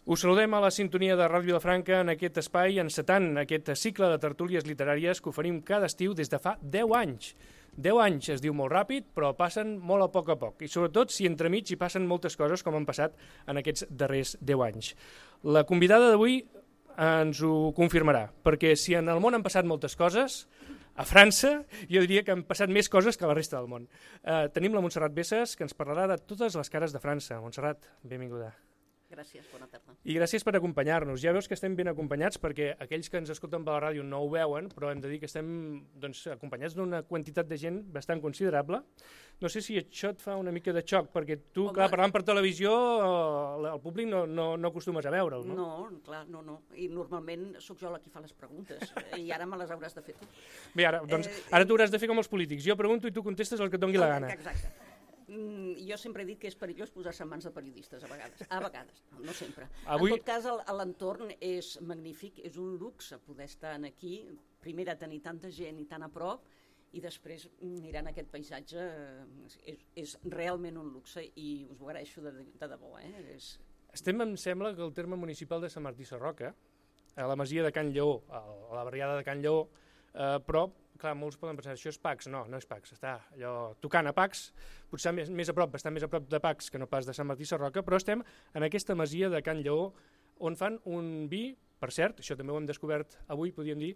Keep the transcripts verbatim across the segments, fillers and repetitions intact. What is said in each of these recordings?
Us saludem a la sintonia de Ràdio Vilafranca en aquest espai, encetant aquest cicle de tertúlies literàries que oferim cada estiu des de fa deu anys. deu anys es diu molt ràpid, però passen molt a poc a poc, i sobretot si entremig hi passen moltes coses com han passat en aquests darrers deu anys. La convidada d'avui ens ho confirmarà, perquè si en el món han passat moltes coses, a França jo diria que han passat més coses que a la resta del món. Eh, tenim la Montserrat Besses, que ens parlarà de totes les cares de França. Montserrat, benvinguda. Gràcies, bona tarda. I gràcies per acompanyar-nos. Ja veus que estem ben acompanyats perquè aquells que ens escolten per la ràdio no ho veuen, però hem de dir que estem doncs, acompanyats d'una quantitat de gent bastant considerable. No sé si això et fa una mica de xoc, perquè tu, Home, clar, parlant per televisió, el públic no, no, no acostumes a veure'l, no? No, clar, no, no. I normalment sóc jo la qui fa les preguntes, i ara me les hauràs de fer tu. Bé, ara, doncs, eh, ara tu hauràs de fer com els polítics. Jo pregunto i tu contestes el que et doni la gana. Exacte. Mm, jo sempre he dit que és perillós posar-se en mans de periodistes, a vegades. A vegades, no, no sempre. Avui... En tot cas, l'entorn és magnífic, és un luxe poder estar aquí, primer a tenir tanta gent i tan a prop, i després mirant aquest paisatge, és, és realment un luxe i us ho agraeixo de, de debò. Eh? És... Estem, em sembla, que el terme municipal de Sant Martí Sarroca, a la masia de Can Lleó, a la barriada de Can Lleó, eh, però clar, molts poden pensar, això és Pacs. No, no és Pacs, està allò tocant a Pacs, potser més, més a prop, bastant més a prop de Pacs que no pas de Sant Martí Sarroca, però estem en aquesta masia de Can Lleó, on fan un vi, per cert, això també ho hem descobert avui, podríem dir,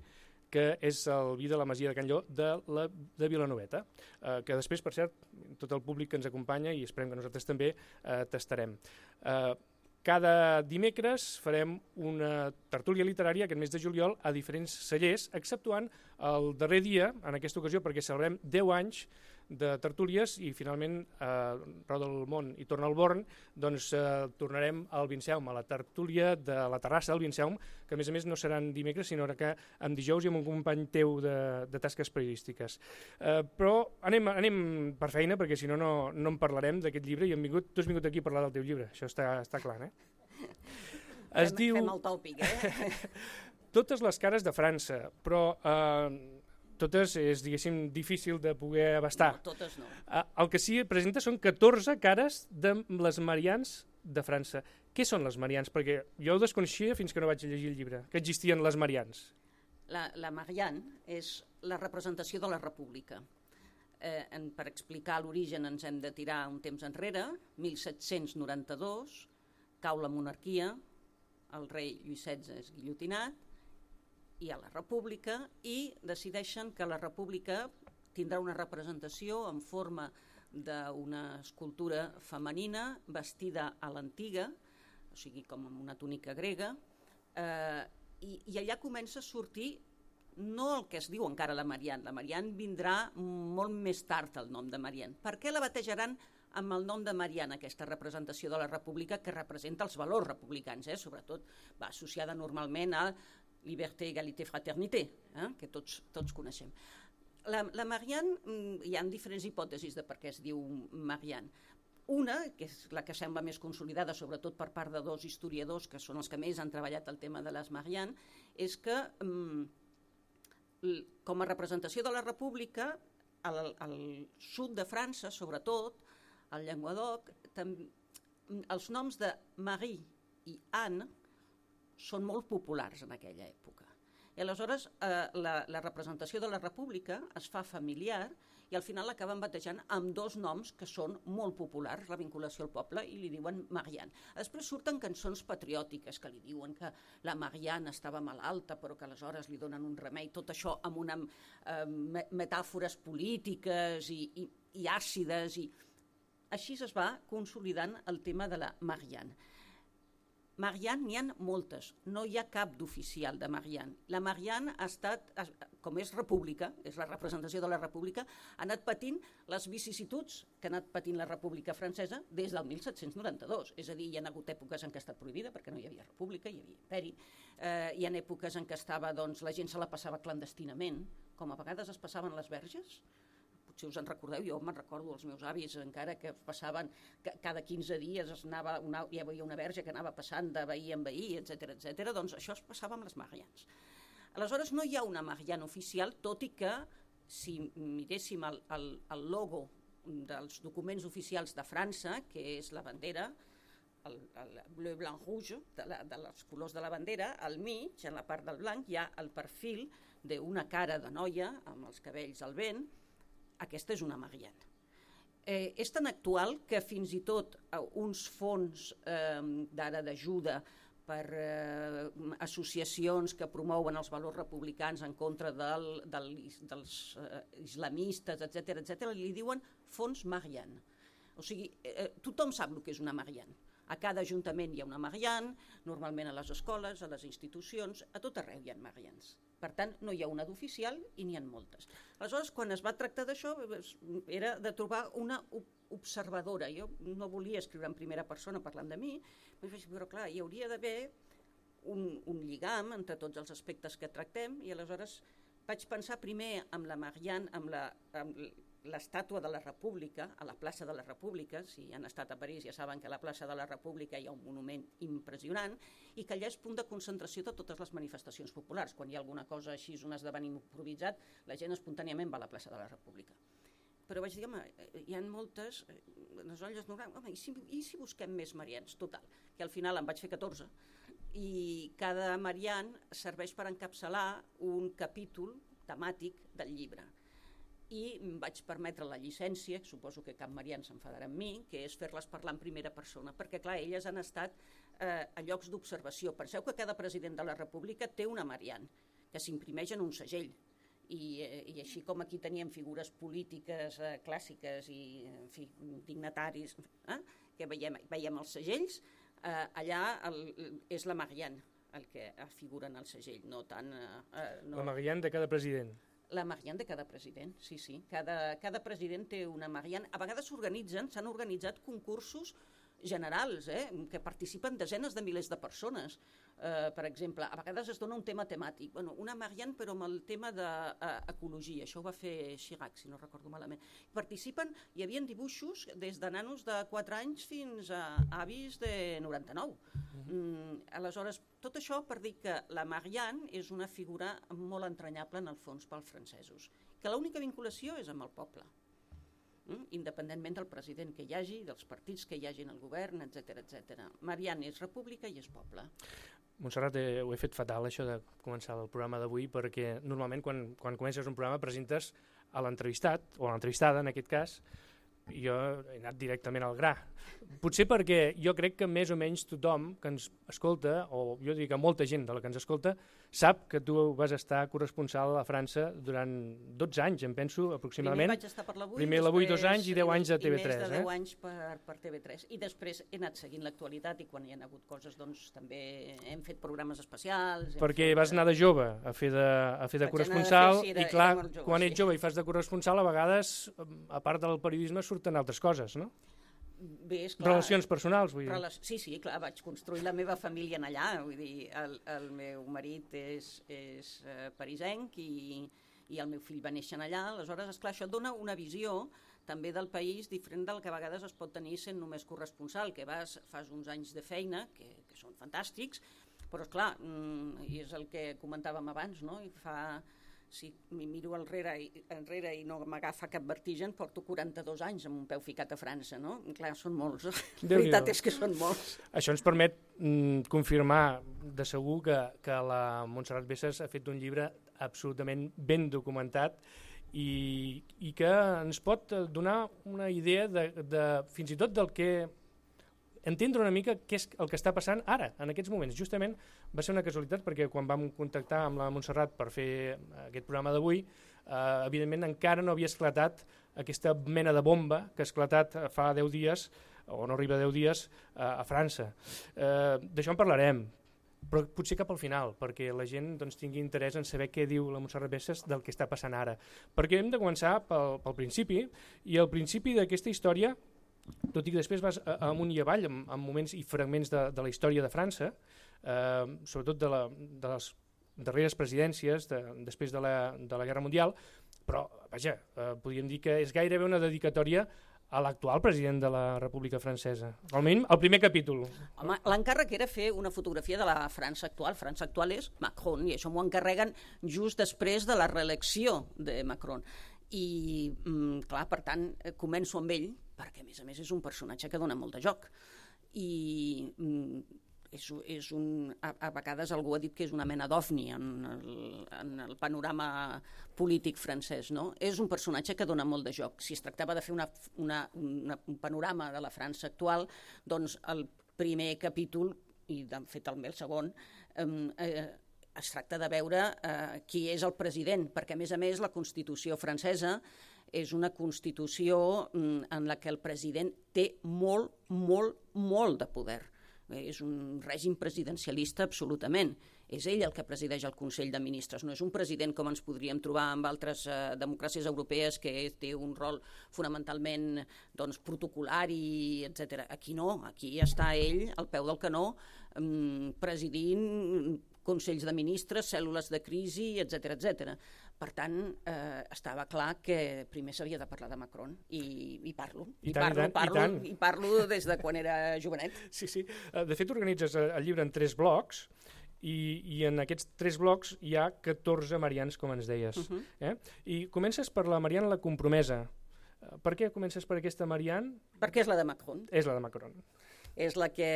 que és el vi de la masia de Can Lleó de, la, de Vilanoveta, eh, que després, per cert, tot el públic que ens acompanya, i esperem que nosaltres també, eh, tastarem. Eh, Cada dimecres farem una tertúlia literària aquest mes de juliol a diferents cellers, exceptuant el darrer dia, en aquesta ocasió, perquè celebrem deu anys de tertúlies i finalment eh, roda el món i torna al Born, doncs eh, tornarem al Vinceum, a la tertúlia de la terrassa del Vinceum, que a més a més no seran dimecres, sinó que en dijous i amb un company teu de, de tasques periodístiques. Eh, però anem, anem per feina, perquè si no, no, no en parlarem d'aquest llibre, i hem vingut, tu has vingut aquí a parlar del teu llibre, això està, està clar, eh? Es fem, diu... Fem el tòpic, eh? Totes les cares de França, però... Eh, totes és, diguéssim, difícil de poder abastar. No, totes no. El que sí presenta són catorze cares de les Marians de França. Què són les Marians? Perquè jo ho desconeixia fins que no vaig llegir el llibre, que existien les Marians. La, la Marianne és la representació de la República. Eh, en, per explicar l'origen ens hem de tirar un temps enrere, mil set-cents noranta-dos, cau la monarquia, el rei Lluís setze és guillotinat, i a la República, i decideixen que la República tindrà una representació en forma d'una escultura femenina vestida a l'antiga, o sigui, com amb una túnica grega, eh, i, i allà comença a sortir no el que es diu encara la Marianne. La Marianne vindrà molt més tard, el nom de Marianne. Per què la batejaran amb el nom de Marianne, aquesta representació de la República que representa els valors republicans, eh? Sobretot va associada normalment a Liberté, Égalité, Fraternité, eh? que tots, tots coneixem. La, la Marianne, hi ha diferents hipòtesis de per què es diu Marianne. Una, que és la que sembla més consolidada, sobretot per part de dos historiadors, que són els que més han treballat el tema de les Marianne, és que com a representació de la República, al, al sud de França, sobretot, al Llenguadoc, tam, els noms de Marie i Anne són molt populars en aquella època. I aleshores eh, la, la representació de la República es fa familiar i al final l'acaben batejant amb dos noms que són molt populars, la vinculació al poble, i li diuen Marianne. Després surten cançons patriòtiques que li diuen que la Marianne estava malalta però que aleshores li donen un remei, tot això amb una, eh, metàfores polítiques i, i, i àcides. I... Així es va consolidant el tema de la Marianne. Marianne n'hi ha moltes, no hi ha cap d'oficial de Marianne. La Marianne ha estat, com és república, és la representació de la república, ha anat patint les vicissituds que ha anat patint la República Francesa des del mil set-cents noranta-dos. És a dir, hi ha hagut èpoques en què ha estat prohibida perquè no hi havia república, hi havia imperi. Eh, hi ha èpoques en què estava, doncs, la gent se la passava clandestinament, com a vegades es passaven les verges. Si us en recordeu, jo me'n recordo els meus avis encara que passaven, que cada quinze dies es anava una, hi havia una verge que anava passant de veí en veí, etcètera, etcètera. Doncs això es passava amb les Mariannes. Aleshores no hi ha una Marianne oficial, tot i que si miréssim el, el, el logo dels documents oficials de França, que és la bandera, el, el bleu, blanc, rouge, de, la, de els colors de la bandera. Al mig, en la part del blanc, hi ha el perfil d'una cara de noia amb els cabells al vent. Aquesta és una Marianne. Eh, és tan actual que fins i tot eh, uns fons eh, d'ara d'ajuda per eh, associacions que promouen els valors republicans en contra del, del, dels eh, islamistes, etcètera, etcètera, li diuen fons Marianne. O sigui, eh, tothom sap el que és una Marianne. A cada ajuntament hi ha una Marianne, normalment a les escoles, a les institucions, a tot arreu hi ha Mariannes. Per tant, no hi ha una d'oficial i n'hi ha moltes. Aleshores, quan es va tractar d'això, era de trobar una observadora. Jo no volia escriure en primera persona parlant de mi, però clar, hi hauria d'haver un, un lligam entre tots els aspectes que tractem, i aleshores vaig pensar primer amb la Marianne, amb la... Amb l'estàtua de la República, a la plaça de la República. Si han estat a París ja saben que a la plaça de la República hi ha un monument impressionant i que allà és punt de concentració de totes les manifestacions populars. Quan hi ha alguna cosa així, un esdeveniment improvisat, la gent espontàniament va a la plaça de la República. Però vaig dir, home, hi ha moltes, les olles normals, home, i si, i si busquem més Marians? Total, que al final en vaig fer catorze, i cada Marianne serveix per encapçalar un capítol temàtic del llibre. I em vaig permetre la llicència, suposo que cap Marianne s'enfadarà amb mi, que és fer-les parlar en primera persona, perquè clar, elles han estat eh, a llocs d'observació. Penseu que cada president de la República té una Marianne, que s'imprimeix en un segell, i, eh, i així com aquí teníem figures polítiques eh, clàssiques i en fi, dignataris, eh, que veiem, veiem els segells, eh, allà el, és la Marianne el que figura en el segell, no tant... Eh, no... La Marianne de cada president. La Marianne de cada president, sí, sí. Cada, cada president té una Marianne. A vegades s'organitzen, s'han organitzat concursos generals, eh, que participen desenes de milers de persones. Eh, per exemple, a vegades es dona un tema temàtic. Bueno, una Marianne, però amb el tema d'ecologia. Això ho va fer Chirac, si no recordo malament. Participen, hi havia dibuixos des de nanos de quatre anys fins a avis de noranta-nou. Mm, aleshores, tot això per dir que la Marianne és una figura molt entranyable en el fons pels francesos, que l'única vinculació és amb el poble, mm? independentment del president que hi hagi, dels partits que hi hagi en el govern, etcètera, etcètera. Marianne és república i és poble. Montserrat, eh, ho he fet fatal això de començar el programa d'avui, perquè normalment quan, quan comences un programa presentes a l'entrevistat, o a l'entrevistada en aquest cas, i jo he anat directament al gra. Potser perquè jo crec que més o menys tothom que ens escolta, o jo dic que molta gent de la que ens escolta, sap que tu vas estar corresponsal a França durant dotze anys, em penso, aproximadament. Primer vaig estar per l'Avui, Primer l'Avui dos anys i deu anys a T V tres. I més de deu eh? anys per, per T V tres. I després he anat seguint l'actualitat i quan hi ha hagut coses, doncs també hem fet programes especials. Perquè fet... vas anar de jove a fer de, a fer de corresponsal, fer, sí, era, i clar, jove, quan sí. ets jove i fas de corresponsal, a vegades, a part del periodisme, surten altres coses, no? Bé, és clar, relacions personals, vull dir. Rela sí, sí, clar, vaig construir la meva família en allà, vull dir, el, el meu marit és, és uh, parisenc i, i el meu fill va néixer allà, aleshores, esclar, això et dona una visió també del país diferent del que a vegades es pot tenir sent només corresponsal, que vas, fas uns anys de feina, que, que són fantàstics, però esclar, mm, i és el que comentàvem abans, no? I fa... Si m'hi miro enrere i, enrere i no m'agafa cap vertigen, porto quaranta-dos anys amb un peu ficat a França, no? Clar, són molts. La veritat és que són molts. Això ens permet mm, confirmar de segur que, que la Montserrat Bessas ha fet un llibre absolutament ben documentat i, i que ens pot donar una idea de, de, fins i tot del que entendre una mica què és el que està passant ara, en aquests moments. Justament va ser una casualitat perquè quan vam contactar amb la Montserrat per fer aquest programa d'avui, eh, evidentment encara no havia esclatat aquesta mena de bomba que ha esclatat fa deu dies, o no arriba a deu dies, eh, a França. Eh, D'això en parlarem, però potser cap al final, perquè la gent doncs, tingui interès en saber què diu la Montserrat Bessas del que està passant ara. Perquè hem de començar pel, pel principi, i el principi d'aquesta història, tot i que després vas amunt i avall en, en moments i fragments de, de la història de França, eh, sobretot de, la, de les darreres presidències de, després de la, de la Guerra Mundial, però vaja, eh, podríem dir que és gairebé una dedicatòria a l'actual president de la República Francesa. Almenys el primer capítol. Home, l'encàrrec era fer una fotografia de la França actual. França actual és Macron, i això m'ho encarreguen just després de la reelecció de Macron. I, mm, clar, per tant, començo amb ell, perquè a més a més és un personatge que dona molt de joc. i és, és un, a, a vegades algú ha dit que és una mena d'ovni en, el, en el panorama polític francès, no? És un personatge que dona molt de joc. Si es tractava de fer una, una, una, un panorama de la França actual, doncs el primer capítol, i de fet el segon, eh, es tracta de veure eh, qui és el president, perquè a més a més la Constitució francesa és una Constitució en la que el president té molt, molt, molt de poder. És un règim presidencialista absolutament. És ell el que presideix el Consell de Ministres, no és un president com ens podríem trobar amb altres eh, democràcies europees que té un rol fonamentalment doncs, protocolari, etcètera. Aquí no, aquí està ell al peu del canó eh, presidint consells de ministres, cèl·lules de crisi, etcètera, etcètera. Per tant, eh, estava clar que primer s'havia de parlar de Macron, i, i parlo. I, I, tant, parlo, i, tant, parlo, i, tant. I parlo des de quan era jovenet. Sí, sí. De fet, organitzes el llibre en tres blocs, i, i en aquests tres blocs hi ha catorze Marians, com ens deies. Uh-huh. eh? I comences per la Marianne la compromesa. Per què comences per aquesta Marianne? Perquè és la de Macron. És la de Macron. És la que,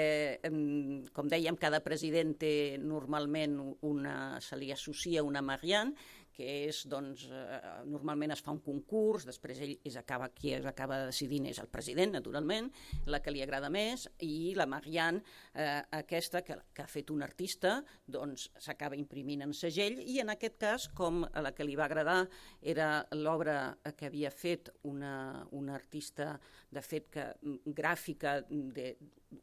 com dèiem, cada president té normalment una, se li associa una Marianne, que és, doncs, eh, normalment es fa un concurs, després ell és acaba, qui es acaba decidint és el president, naturalment, la que li agrada més, i la Marianne, eh, aquesta que, que ha fet un artista, doncs s'acaba imprimint en segell, i en aquest cas, com a la que li va agradar era l'obra que havia fet una, una artista, de fet, que, gràfica de,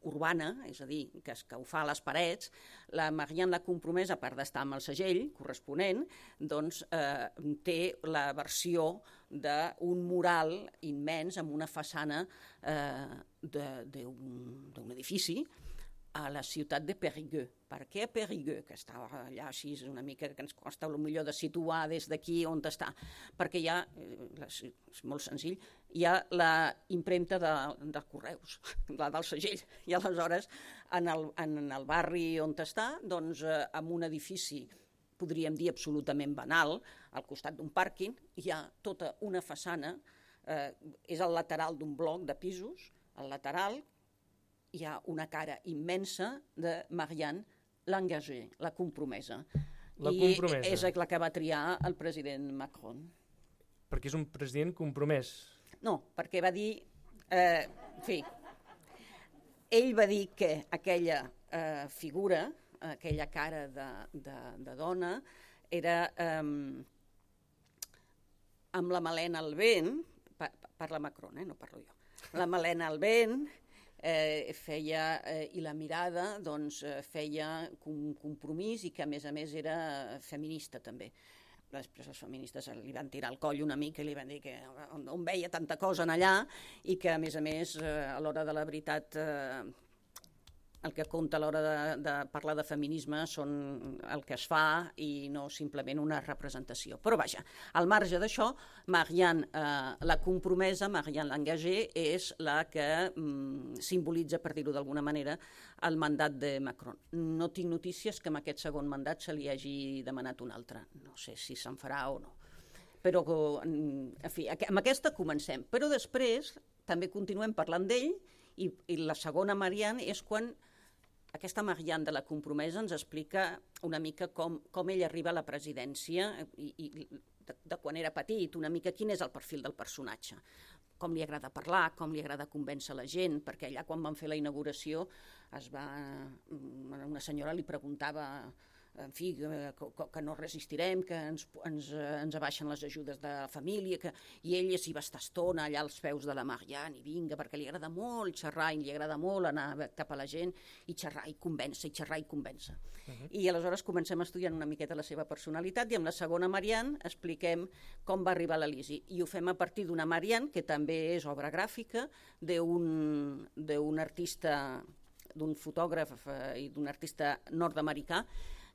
urbana, és a dir, que, que ho fa a les parets, la Marianne la compromesa, a part d'estar amb el segell corresponent, doncs eh, té la versió d'un mural immens amb una façana eh, d'un edifici a la ciutat de Périgueux. Per què Périgueux, que està allà així, és una mica que ens costa potser de situar des d'aquí on està? Perquè hi ha, és molt senzill, hi ha la impremta de, de Correus, la del segell, i aleshores en el, en el barri on està, doncs eh, en un edifici, podríem dir absolutament banal, al costat d'un pàrquing, hi ha tota una façana, eh, és al lateral d'un bloc de pisos, al lateral hi ha una cara immensa de Marianne l'engagée, la compromesa. La compromesa. I és la que va triar el president Macron. Perquè és un president compromès. No, perquè va dir... Eh, en fi, ell va dir que aquella eh, figura, aquella cara de, de, de dona, era eh, amb la melena al vent, pa, parla Macron, eh, no parlo jo, la melena al vent, eh, feia, eh, i la mirada doncs, feia un compromís i que a més a més era feminista també. Després els feministes li van tirar el coll una mica i li van dir que on, on veia tanta cosa en allà i que a més a més eh, a l'hora de la veritat eh, el que compta a l'hora de, de parlar de feminisme són el que es fa i no simplement una representació. Però vaja, al marge d'això, Marianne, eh, la compromesa, Marianne l'engagée, és la que mm, simbolitza, per dir-ho d'alguna manera, el mandat de Macron. No tinc notícies que amb aquest segon mandat se li hagi demanat un altre. No sé si se'n farà o no. Però, en fi, amb aquesta comencem. Però després també continuem parlant d'ell i, i la segona Marianne és quan aquesta Marianne de la compromesa ens explica una mica com, com ell arriba a la presidència i, i de, de quan era petit, una mica quin és el perfil del personatge, com li agrada parlar, com li agrada convèncer la gent, perquè allà quan van fer la inauguració es va, una senyora li preguntava en fi, que, que no resistirem, que ens, ens, ens abaixen les ajudes de la família, que, i ell s'hi va estar estona allà als peus de la Marianne, i vinga, perquè li agrada molt xerrar, i li agrada molt anar cap a la gent, i xerrar i convèncer, i xerrar i convèncer. Uh-huh. I aleshores comencem estudiant una miqueta la seva personalitat, i amb la segona Marianne expliquem com va arribar a l'Elisi, i ho fem a partir d'una Marianne, que també és obra gràfica, d'un d'un artista, d'un fotògraf i d'un artista nord-americà,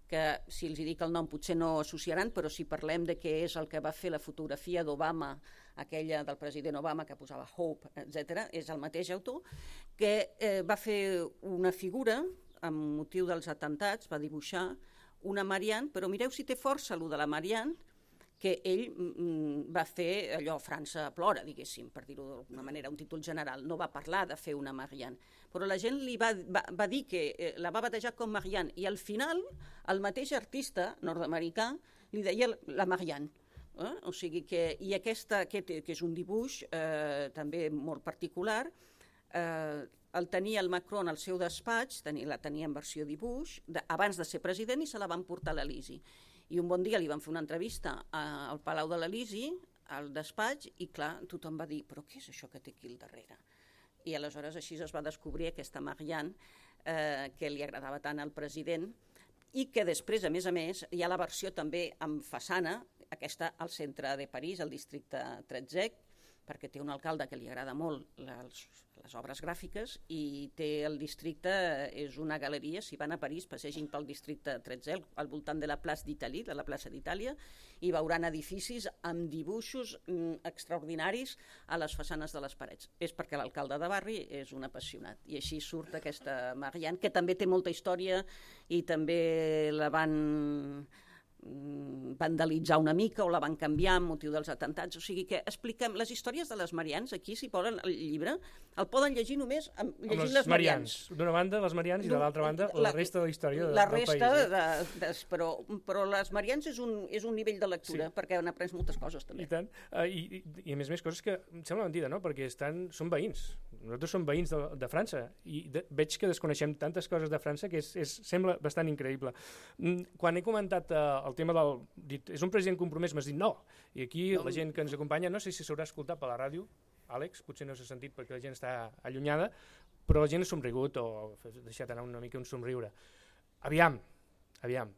que si els dic el nom potser no associaran, però si parlem de què és el que va fer la fotografia d'Obama, aquella del president Obama que posava Hope, etcètera, és el mateix autor, que eh, va fer una figura amb motiu dels atemptats, va dibuixar una Marianne, però mireu si té força, allò de la Marianne, que ell mm, va fer allò, França plora, diguéssim, per dir-ho d'alguna manera, un títol general, no va parlar de fer una Marianne, però la gent li va, va, va dir que eh, la va batejar com Marianne, i al final el mateix artista nord-americà li deia la Marianne. Eh? O sigui que, i aquesta, aquest, que és un dibuix eh, també molt particular, eh, el tenia el Macron al seu despatx, tenia, la tenia en versió dibuix, de, abans de ser president, i se la van portar a l'Elisi. I un bon dia li van fer una entrevista a, al Palau de l'Elisi, al despatx, i clar, tothom va dir, però què és això que té aquí al darrere? I aleshores així es va descobrir aquesta Marianne eh, que li agradava tant al president, i que després, a més a més, hi ha la versió també amb façana, aquesta al centre de París, al districte tretzè, perquè té un alcalde que li agrada molt les, les obres gràfiques, i té el districte, és una galeria, si van a París, passegin pel districte tretzè, al voltant de la plaça d'Italie, de la plaça d'Itàlia, i veuran edificis amb dibuixos mm, extraordinaris a les façanes de les parets. És perquè l'alcalde de barri és un apassionat, i així surt aquesta Marianne, que també té molta història, i també la van vandalitzar una mica o la van canviar amb motiu dels atentats, o sigui que expliquem les històries de les Mariannes, aquí si poden el llibre, el poden llegir només amb, llegint amb les, les Mariannes. D'una banda les Mariannes i de l'altra banda la, la resta de la història de, la resta del país. Eh? De, de, però, però les Mariannes és un, és un nivell de lectura, sí, perquè han après moltes coses també. I tant, uh, i, i a més a més coses que em sembla mentida, no? Perquè estan, són veïns, nosaltres som veïns de, de França, i de, veig que desconeixem tantes coses de França que és, és, sembla bastant increïble. Quan he comentat uh, el tema del... Dit, és un president compromès, m'has dit no, i aquí la gent que ens acompanya, no sé si s'haurà escoltat per la ràdio, Àlex, potser no s'ha sentit perquè la gent està allunyada, però la gent ha somrigut o ha deixat anar una mica un somriure. Aviam, aviam.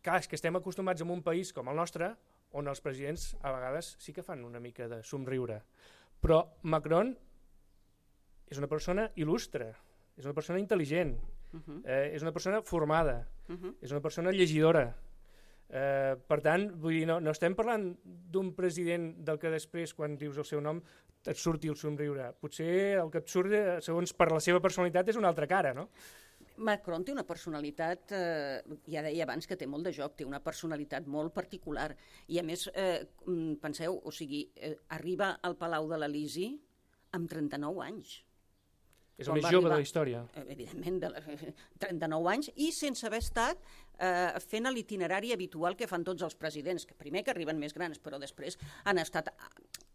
Clar, és que estem acostumats a un país com el nostre, on els presidents a vegades sí que fan una mica de somriure. Però Macron és una persona il·lustre, és una persona intel·ligent, uh-huh. eh, és una persona formada, uh-huh. és una persona llegidora. Eh, per tant, vull dir, no, no estem parlant d'un president del que després, quan dius el seu nom, et surti el somriure. Potser el que et surt, segons per la seva personalitat, és una altra cara, no? Macron té una personalitat, eh, ja deia abans que té molt de joc, té una personalitat molt particular. I a més, eh, penseu, o sigui, eh, arriba al Palau de l'Elisi amb trenta-nou anys. És el més jove de la història. Evidentment, de trenta-nou anys, i sense haver estat eh, fent l'itinerari habitual que fan tots els presidents, que primer que arriben més grans, però després han estat...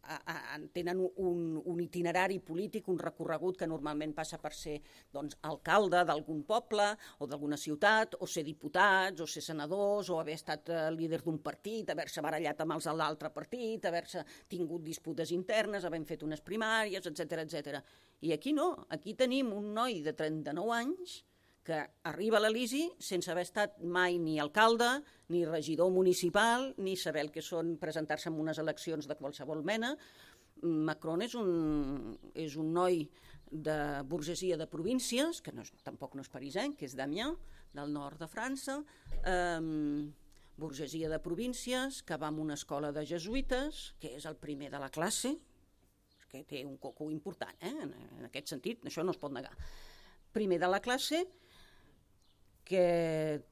A, a, tenen un, un itinerari polític, un recorregut que normalment passa per ser doncs, alcalde d'algun poble o d'alguna ciutat, o ser diputats, o ser senadors, o haver estat eh, líder d'un partit, haver-se barallat amb els de l'altre partit, haver-se tingut disputes internes, havent fet unes primàries, etcètera, etcètera. I aquí no, aquí tenim un noi de trenta-nou anys que arriba a l'Elisi sense haver estat mai ni alcalde, ni regidor municipal, ni saber el que són presentar-se en unes eleccions de qualsevol mena. Macron és un, és un noi de burgesia de províncies, que no és, tampoc no és parisenc, que és d'Amiens, del nord de França, eh, burgesia de províncies, que va a una escola de jesuïtes, que és el primer de la classe, que té un coco important, eh? en, en aquest sentit, això no es pot negar. Primer de la classe, que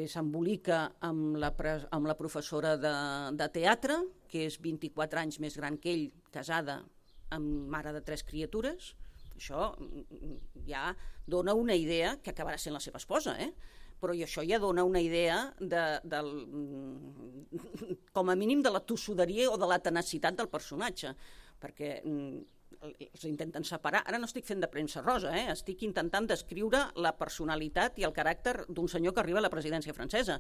s'embolica amb, la, amb la professora de, de teatre, que és vint-i-quatre anys més gran que ell, casada amb mare de tres criatures. Això ja dona una idea, que acabarà sent la seva esposa, eh? Però això ja dona una idea de, del, com a mínim de la tossuderia o de la tenacitat del personatge, perquè els intenten separar. Ara no estic fent de premsa rosa, eh? Estic intentant descriure la personalitat i el caràcter d'un senyor que arriba a la presidència francesa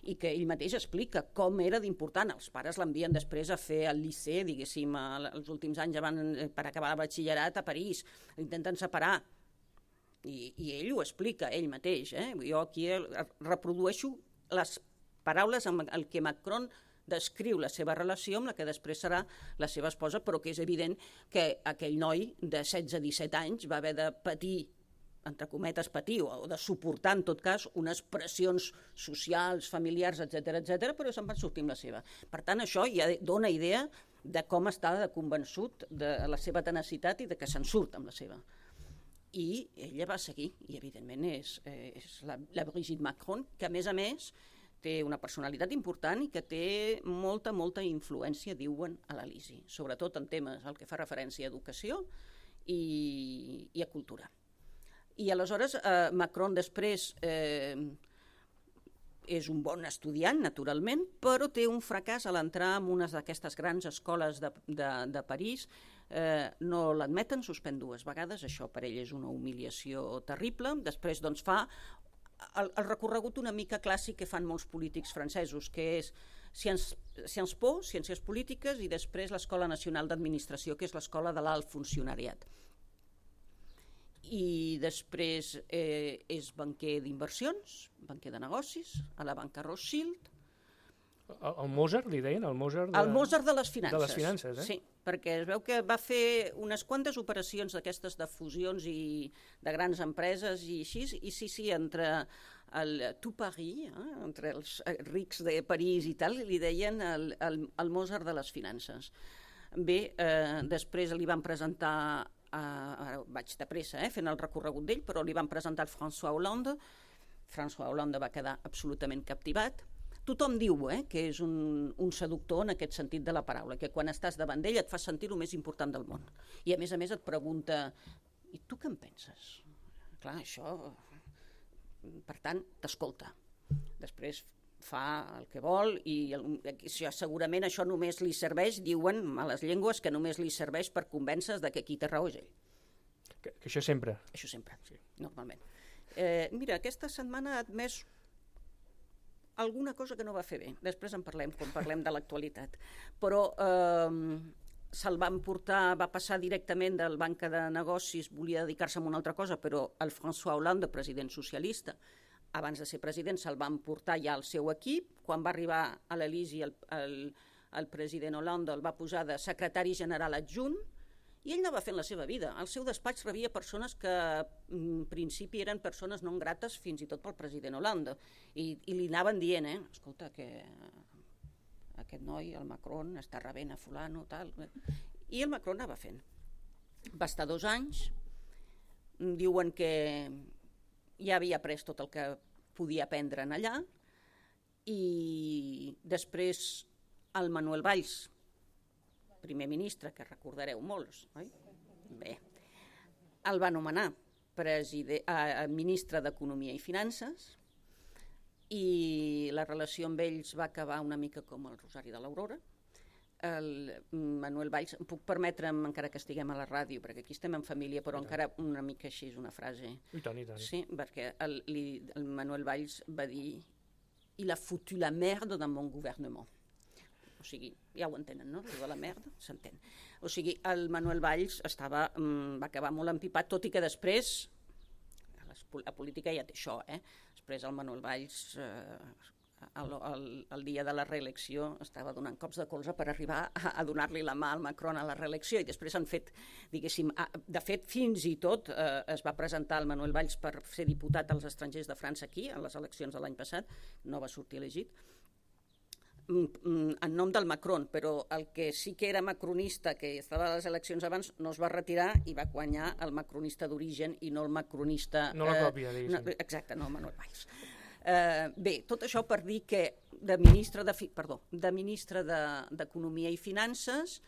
i que ell mateix explica com era d'important. Els pares l'envien després a fer el liceu, diguéssim, els últims anys van per acabar el batxillerat a París. L'intenten separar. I, i ell ho explica, ell mateix. Eh? Jo aquí reprodueixo les paraules amb el que Macron descriu la seva relació amb la que després serà la seva esposa, però que és evident que aquell noi de setze a disset anys va haver de patir, entre cometes patir, o de suportar en tot cas unes pressions socials, familiars, etcètera, etcètera, però se'n van sortir amb la seva. Per tant, això ja dona idea de com està convençut de la seva tenacitat i de que se'n surt amb la seva. I ella va seguir, i evidentment és, és la, la Brigitte Macron, que a més a més té una personalitat important i que té molta, molta influència, diuen, a l'Elisi, sobretot en temes al que fa referència a educació i, i a cultura. I aleshores eh, Macron després eh, és un bon estudiant, naturalment, però té un fracàs a l'entrar en una d'aquestes grans escoles de, de, de París. Eh, no l'admeten, suspèn dues vegades, això per ell és una humiliació terrible. Després doncs, fa el, el recorregut una mica clàssic que fan molts polítics francesos, que és Sciences Po, Ciències Polítiques, i després l'Escola Nacional d'Administració, que és l'escola de l'alt funcionariat. I després eh, és banquer d'inversions, banquer de negocis, a la banca Rothschild. El, el Mozart, li deien? El Mozart de, el Mozart de les finances. De les finances, eh? Sí, perquè es veu que va fer unes quantes operacions d'aquestes de fusions i de grans empreses i així, i sí, sí, entre el tout Paris, eh, entre els rics de París i tal, li deien el, el, el Mozart de les finances. Bé, eh, després li van presentar, eh, ara vaig de pressa, eh, fent el recorregut d'ell, però li van presentar el François Hollande. François Hollande va quedar absolutament captivat. Tothom diu eh, que és un, un seductor en aquest sentit de la paraula, que quan estàs davant d'ell et fa sentir el més important del món. I a més a més et pregunta, i tu què en penses? Clar, això... Per tant, t'escolta. Després fa el que vol i el, segurament això només li serveix, diuen males llengües, que només li serveix per convèncer de que qui té raó és ell. Que, que això sempre. Això sempre, sí, normalment. Eh, mira, aquesta setmana ha admès alguna cosa que no va fer bé. Després en parlem, quan parlem de l'actualitat. Però eh, se'l van portar, va passar directament del banca de negocis, volia dedicar-se a una altra cosa, però el François Hollande, president socialista, abans de ser president, se'l van portar ja al seu equip. Quan va arribar a l'Elisi, el, el, el president Hollande el va posar de secretari general adjunt, i ell anava fent la seva vida. Al seu despatx rebia persones que en principi eren persones non grates fins i tot pel president Hollande. I, i li anaven dient, eh, escolta, que aquest noi, el Macron, està rebent a fulano, tal. I el Macron anava fent. Va estar dos anys, diuen que ja havia après tot el que podia aprendre en allà, i després el Manuel Valls, primer ministre, que recordareu molts, oi? Bé, el va nomenar preside- eh, ministre d'Economia i Finances, i la relació amb ells va acabar una mica com el Rosari de l'Aurora. El Manuel Valls, em puc permetre'm, encara que estiguem a la ràdio, perquè aquí estem en família, però encara una mica així és una frase. I tant, i tant. Sí, perquè el, el Manuel Valls va dir «Il a foutu la merde dans mon gouvernement». O sigui, ja ho entenen, no? De la merda, s'entén. O sigui, el Manuel Valls estava, va acabar molt empipat, tot i que després, la política ja té això, eh? Després el Manuel Valls, eh, el, el, el dia de la reelecció, estava donant cops de colze per arribar a, a donar-li la mà al Macron a la reelecció, i després han fet, diguéssim, de fet, fins i tot eh, es va presentar el Manuel Valls per ser diputat als estrangers de França aquí, a les eleccions de l'any passat, no va sortir elegit, en nom del Macron, però el que sí que era macronista, que estava a les eleccions abans, no es va retirar i va guanyar el macronista d'origen i no el macronista... No la còpia, eh, no, exacte, no, Manuel Valls. Eh, bé, tot això per dir que de ministre de, perdó, de ministre d'Economia i Finances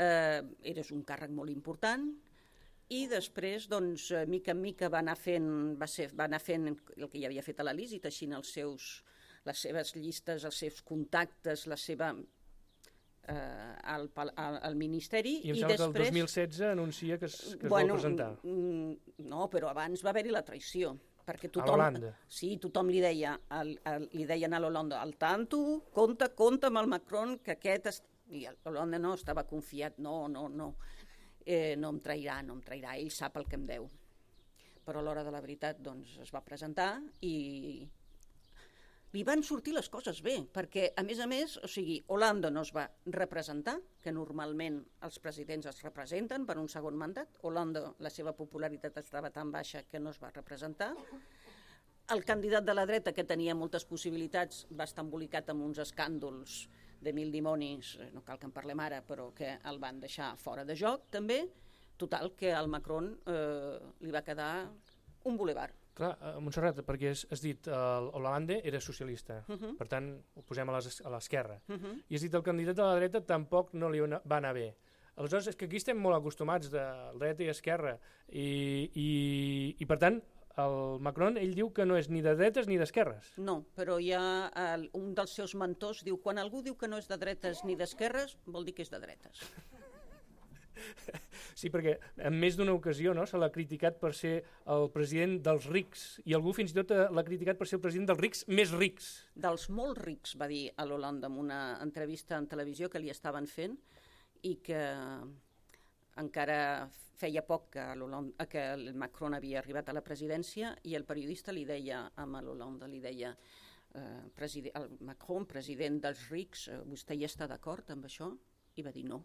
eh, eres un càrrec molt important, i després, doncs, mica en mica va anar fent, va ser, va anar fent el que ja havia fet a l'Elisi, teixint els seus... les seves llistes, els seus contactes, la seva... Eh, al, al, al Ministeri. I em sembla després, que el dos mil setze anuncia que es, que es bueno, vol presentar. No, però abans va haver-hi la traïció. Perquè tothom, a l'Holanda. Sí, tothom li deia, el, el, li deien a l'Holanda, al tanto, compte, compte amb el Macron, que aquest... Es... I l'Holanda no, estava confiat, no, no, no, eh, no em trairà, no em trairà, ell sap el que em deu. Però a l'hora de la veritat, doncs, es va presentar i... li van sortir les coses bé, perquè, a més a més, o sigui, Hollande no es va representar, que normalment els presidents es representen per un segon mandat. Hollande, la seva popularitat estava tan baixa que no es va representar. El candidat de la dreta, que tenia moltes possibilitats, va estar embolicat amb uns escàndols de mil dimonis, no cal que en parlem ara, però que el van deixar fora de joc, també. Total, que al Macron eh, li va quedar un bulevard. Clar, a Montserrat, perquè has, has dit el Hollande era socialista, uh -huh. per tant ho posem a l'esquerra, uh -huh. i has dit el candidat de la dreta tampoc no li va anar bé. Aleshores, és que aquí estem molt acostumats de dreta i esquerra, i, i, i per tant, el Macron, ell diu que no és ni de dretes ni d'esquerres. No, però hi ha el, un dels seus mentors, diu, quan algú diu que no és de dretes ni d'esquerres, vol dir que és de dretes. Sí, perquè en més d'una ocasió no, se l'ha criticat per ser el president dels rics, i algú fins i tot l'ha criticat per ser el president dels rics més rics. Dels molt rics, va dir a l'Hollande en una entrevista en televisió que li estaven fent, i que encara feia poc que, que el Macron havia arribat a la presidència, i el periodista li deia a l'Hollande, li deia eh, president, el Macron, president dels rics, eh, vostè hi està d'acord amb això? I va dir no.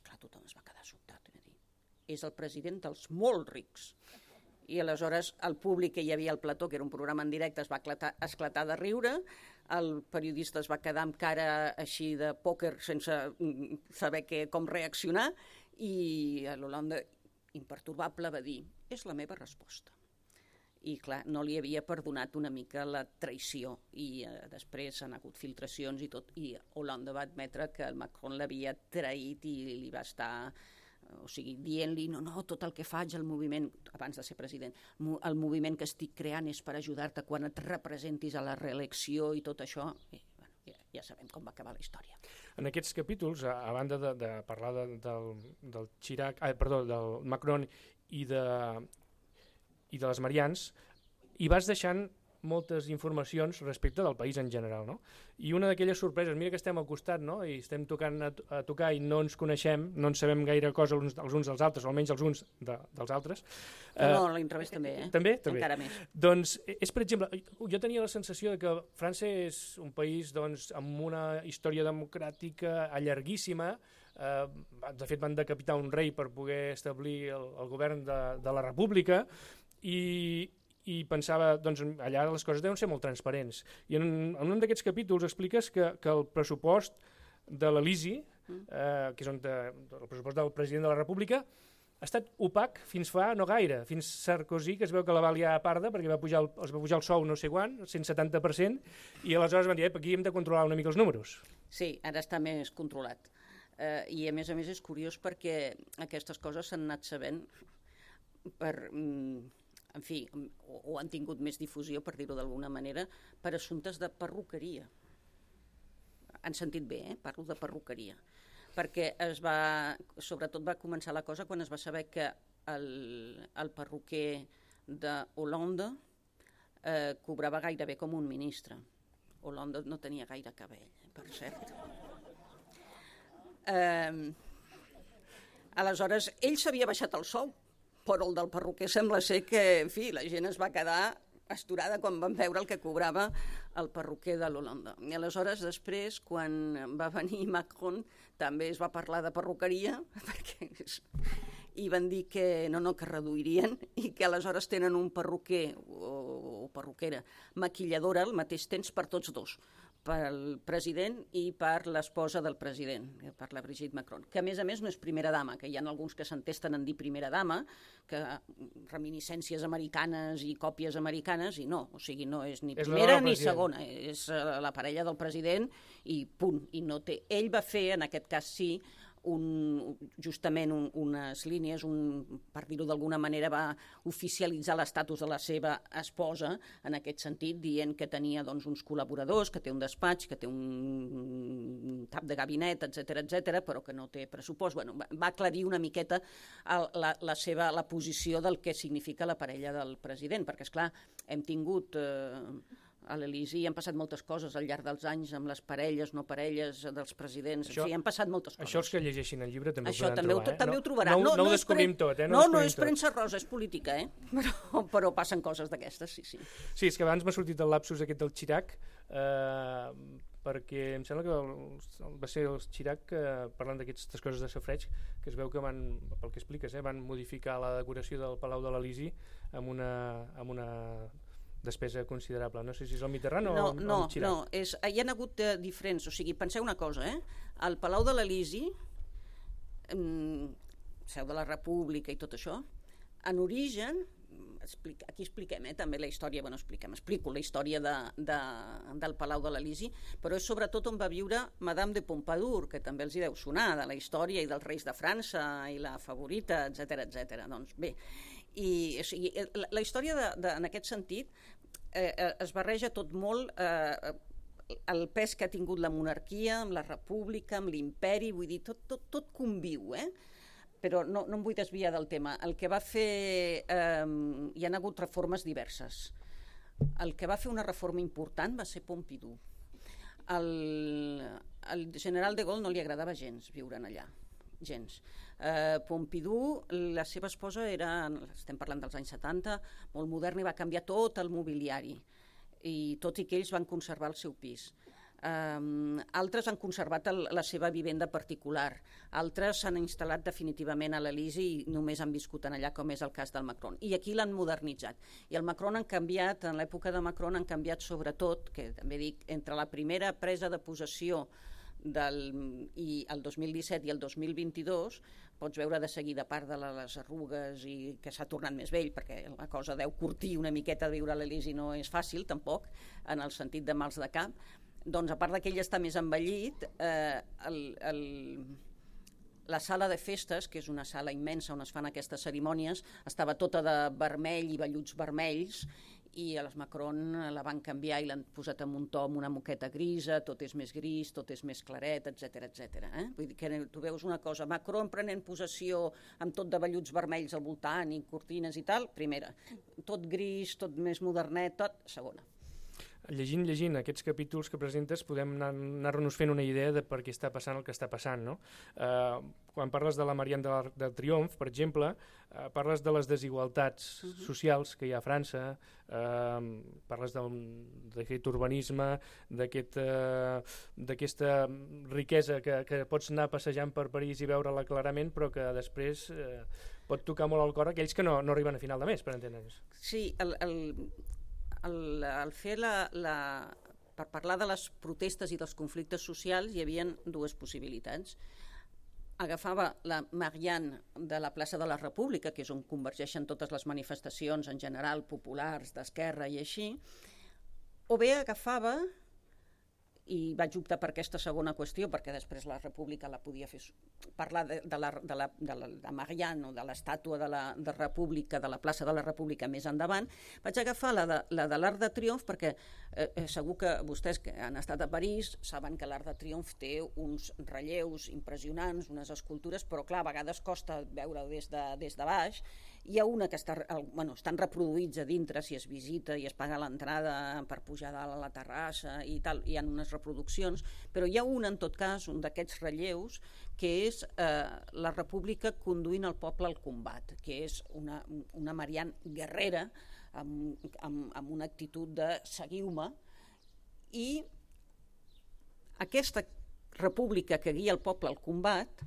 Clar, tothom es va quedar sobtat i va dir, és el president dels molt rics. I aleshores el públic que hi havia al plató, que era un programa en directe, es va esclatar, esclatar de riure, el periodista es va quedar amb cara així de pòquer sense saber que, com reaccionar, i l'Hollande, imperturbable, va dir, és la meva resposta. I clar, no li havia perdonat una mica la traïció, i eh, després han hagut filtracions i tot, i Hollande va admetre que el Macron l'havia traït i li va estar, o sigui, dient-li, no, no, tot el que faig, el moviment, abans de ser president, el moviment que estic creant és per ajudar-te quan et representis a la reelecció i tot això, i bueno, ja, ja sabem com va acabar la història. En aquests capítols, a, a banda de, de parlar de, del, del Chirac, ah, perdó, del Macron i de i de les Marians, i vas deixant moltes informacions respecte del país en general, no? I una d'aquelles sorpreses, mira que estem al costat, no? I estem tocant a, a tocar i no ens coneixem, no en sabem gaire cosa els, els uns dels altres, o almenys els uns de, dels altres. No, no, a l'inrevés també, eh? També? També. Encara més. Doncs és, per exemple, jo tenia la sensació de que França és un país doncs, amb una història democràtica llarguíssima. Eh, de fet, van decapitar un rei per poder establir el, el govern de, de la República, i, i pensava, doncs allà les coses deuen ser molt transparents. I en, en un d'aquests capítols expliques que, que el pressupost de l'Elisi, eh, que és on de, el pressupost del president de la República, ha estat opac fins fa no gaire, fins Sarkozy, que es veu que la va liar a parda perquè va pujar el, els va pujar el sou no sé quan, cent setanta per cent, i aleshores van dir, aquí hem de controlar una mica els números. Sí, ara està més controlat. Eh, I a més a més és curiós perquè aquestes coses s'han anat sabent per... Mm, en fi, o, o han tingut més difusió, per dir-ho d'alguna manera, per assumptes de perruqueria. Han sentit bé, eh? Parlo de perruqueria. Perquè es va, sobretot va començar la cosa quan es va saber que el, el perruquer de Hollande eh, cobrava gairebé com un ministre. Hollande no tenia gaire cabell, per cert. Eh, aleshores, ell s'havia baixat el sou, però el del perruquer sembla ser que, en fi, la gent es va quedar astorada quan van veure el que cobrava el perruquer de l'Hollande. I aleshores, després, quan va venir Macron, també es va parlar de perruqueria, perquè és... i van dir que no, no, que reduirien, i que aleshores tenen un perruquer o, o perruquera maquilladora al mateix temps per tots dos, pel president i per l'esposa del president, per la Brigitte Macron, que a més a més no és primera dama, que hi ha alguns que s'entesten en dir primera dama, que reminiscències americanes i còpies americanes, i no, o sigui, no és ni primera ni segona, és la parella del president i punt, i no té. Ell va fer, en aquest cas sí, un, justament un, unes línies, un, per dir-ho d'alguna manera, va oficialitzar l'estatus de la seva esposa, en aquest sentit, dient que tenia doncs, uns col·laboradors, que té un despatx, que té un cap de gabinet, etcètera, etcètera, però que no té pressupost. Bueno, va aclarir una miqueta el, la, la seva la posició del que significa la parella del president, perquè, esclar, hem tingut... Eh, a l'Elisi han passat moltes coses al llarg dels anys amb les parelles, no parelles dels presidents, això, en fi, han passat moltes coses. Això els que llegeixin el llibre també això ho podran també trobar, ho, eh? També no, ho trobaran. No, no, no, no ho descobrim pre... tot, eh? No, no, no és tot. premsa rosa, és política, eh? Però, però passen coses d'aquestes, sí, sí. Sí, és que abans m'ha sortit el lapsus aquest del Chirac, eh, perquè em sembla que el, va ser el Chirac, eh, parlant d'aquestes coses de safreig, que es veu que van, pel que expliques, eh, van modificar la decoració del Palau de l'Elisi amb una... Amb una despesa considerable. No sé si és el Mitterrand o, no, o no, el Chirac. No, és, hi ha hagut eh, diferents, o sigui, penseu una cosa, eh? El Palau de l'Elisi, eh, seu de la República i tot això, en origen aquí expliquem eh, també la història, bueno, expliquem, explico la història de, de, del Palau de l'Elisi, però és sobretot on va viure Madame de Pompadour, que també els hi deu sonar, de la història i dels reis de França i la favorita, etcètera, etcètera. Doncs bé, i, o sigui, la, la història de, de, en aquest sentit eh, es barreja tot molt eh, el pes que ha tingut la monarquia, amb la república, amb l'imperi, vull dir, tot, tot, tot conviu, eh? Però no, no em vull desviar del tema. El que va fer... Eh, hi ha hagut reformes diverses. El que va fer una reforma important va ser Pompidou. El, el general de Gaulle no li agradava gens viure allà, gens. Eh, Pompidou, la seva esposa era, estem parlant dels anys setanta, molt moderna i va canviar tot el mobiliari, i tot i que ells van conservar el seu pis. Um, altres han conservat el, la seva vivenda particular, altres s'han instal·lat definitivament a l'Elisi i només han viscut en allà, com és el cas del Macron, i aquí l'han modernitzat, i el Macron han canviat, en l'època de Macron han canviat sobretot, que també dic, entre la primera presa de possessió del, i el dos mil disset i el dos mil vint-i-dos, pots veure de seguida, a part de les arrugues i que s'ha tornat més vell, perquè la cosa deu curtir una miqueta de viure a l'Elisi, no és fàcil tampoc, en el sentit de mals de cap. Doncs a part que ell està més envellit, eh, el, el, la sala de festes, que és una sala immensa on es fan aquestes cerimònies, estava tota de vermell i velluts vermells, i a les Macron la van canviar i l'han posat en un to amb una moqueta grisa, tot és més gris, tot és més claret, etcètera, etcètera. Eh? Vull dir que tu veus una cosa, Macron prenent possessió amb tot de velluts vermells al voltant i cortines i tal, primera. Tot gris, tot més modernet, tot, segona. Llegint, llegint aquests capítols que presentes podem anar-nos fent una idea de per què està passant el que està passant, no? Eh, quan parles de la Marianne del, del Triomf, per exemple, eh, parles de les desigualtats uh -huh. socials que hi ha a França, eh, parles d'aquest urbanisme, d'aquesta eh, riquesa que, que pots anar passejant per París i veure-la clarament, però que després eh, pot tocar molt al cor aquells que no, no arriben a final de mes, per entendre'ns. Sí, el... el... El, el fer la, la, per parlar de les protestes i dels conflictes socials hi havia dues possibilitats. Agafava la Marianne de la plaça de la República, que és on convergeixen totes les manifestacions en general populars, d'esquerra i així, o bé agafava, i vaig optar per aquesta segona qüestió perquè després la República la podia fer, parlar de, de, la, de, la, de, la, de Marianne o de l'estàtua de la de República, de la plaça de la República més endavant, vaig agafar la de, la de l'Arc de Triomf perquè eh, segur que vostès que han estat a París saben que l'Arc de Triomf té uns relleus impressionants, unes escultures, però clar, a vegades costa veure des de, des de baix. Hi ha una que està, bueno, estan reproduïts a dintre si es visita i es paga l'entrada per pujar dalt a la terrassa i tal, hi ha unes reproduccions, però hi ha una, en tot cas, un d'aquests relleus, que és eh, la República conduint el poble al combat, que és una, una Marianne guerrera, amb, amb, amb una actitud de seguiu-me, i aquesta República que guia el poble al combat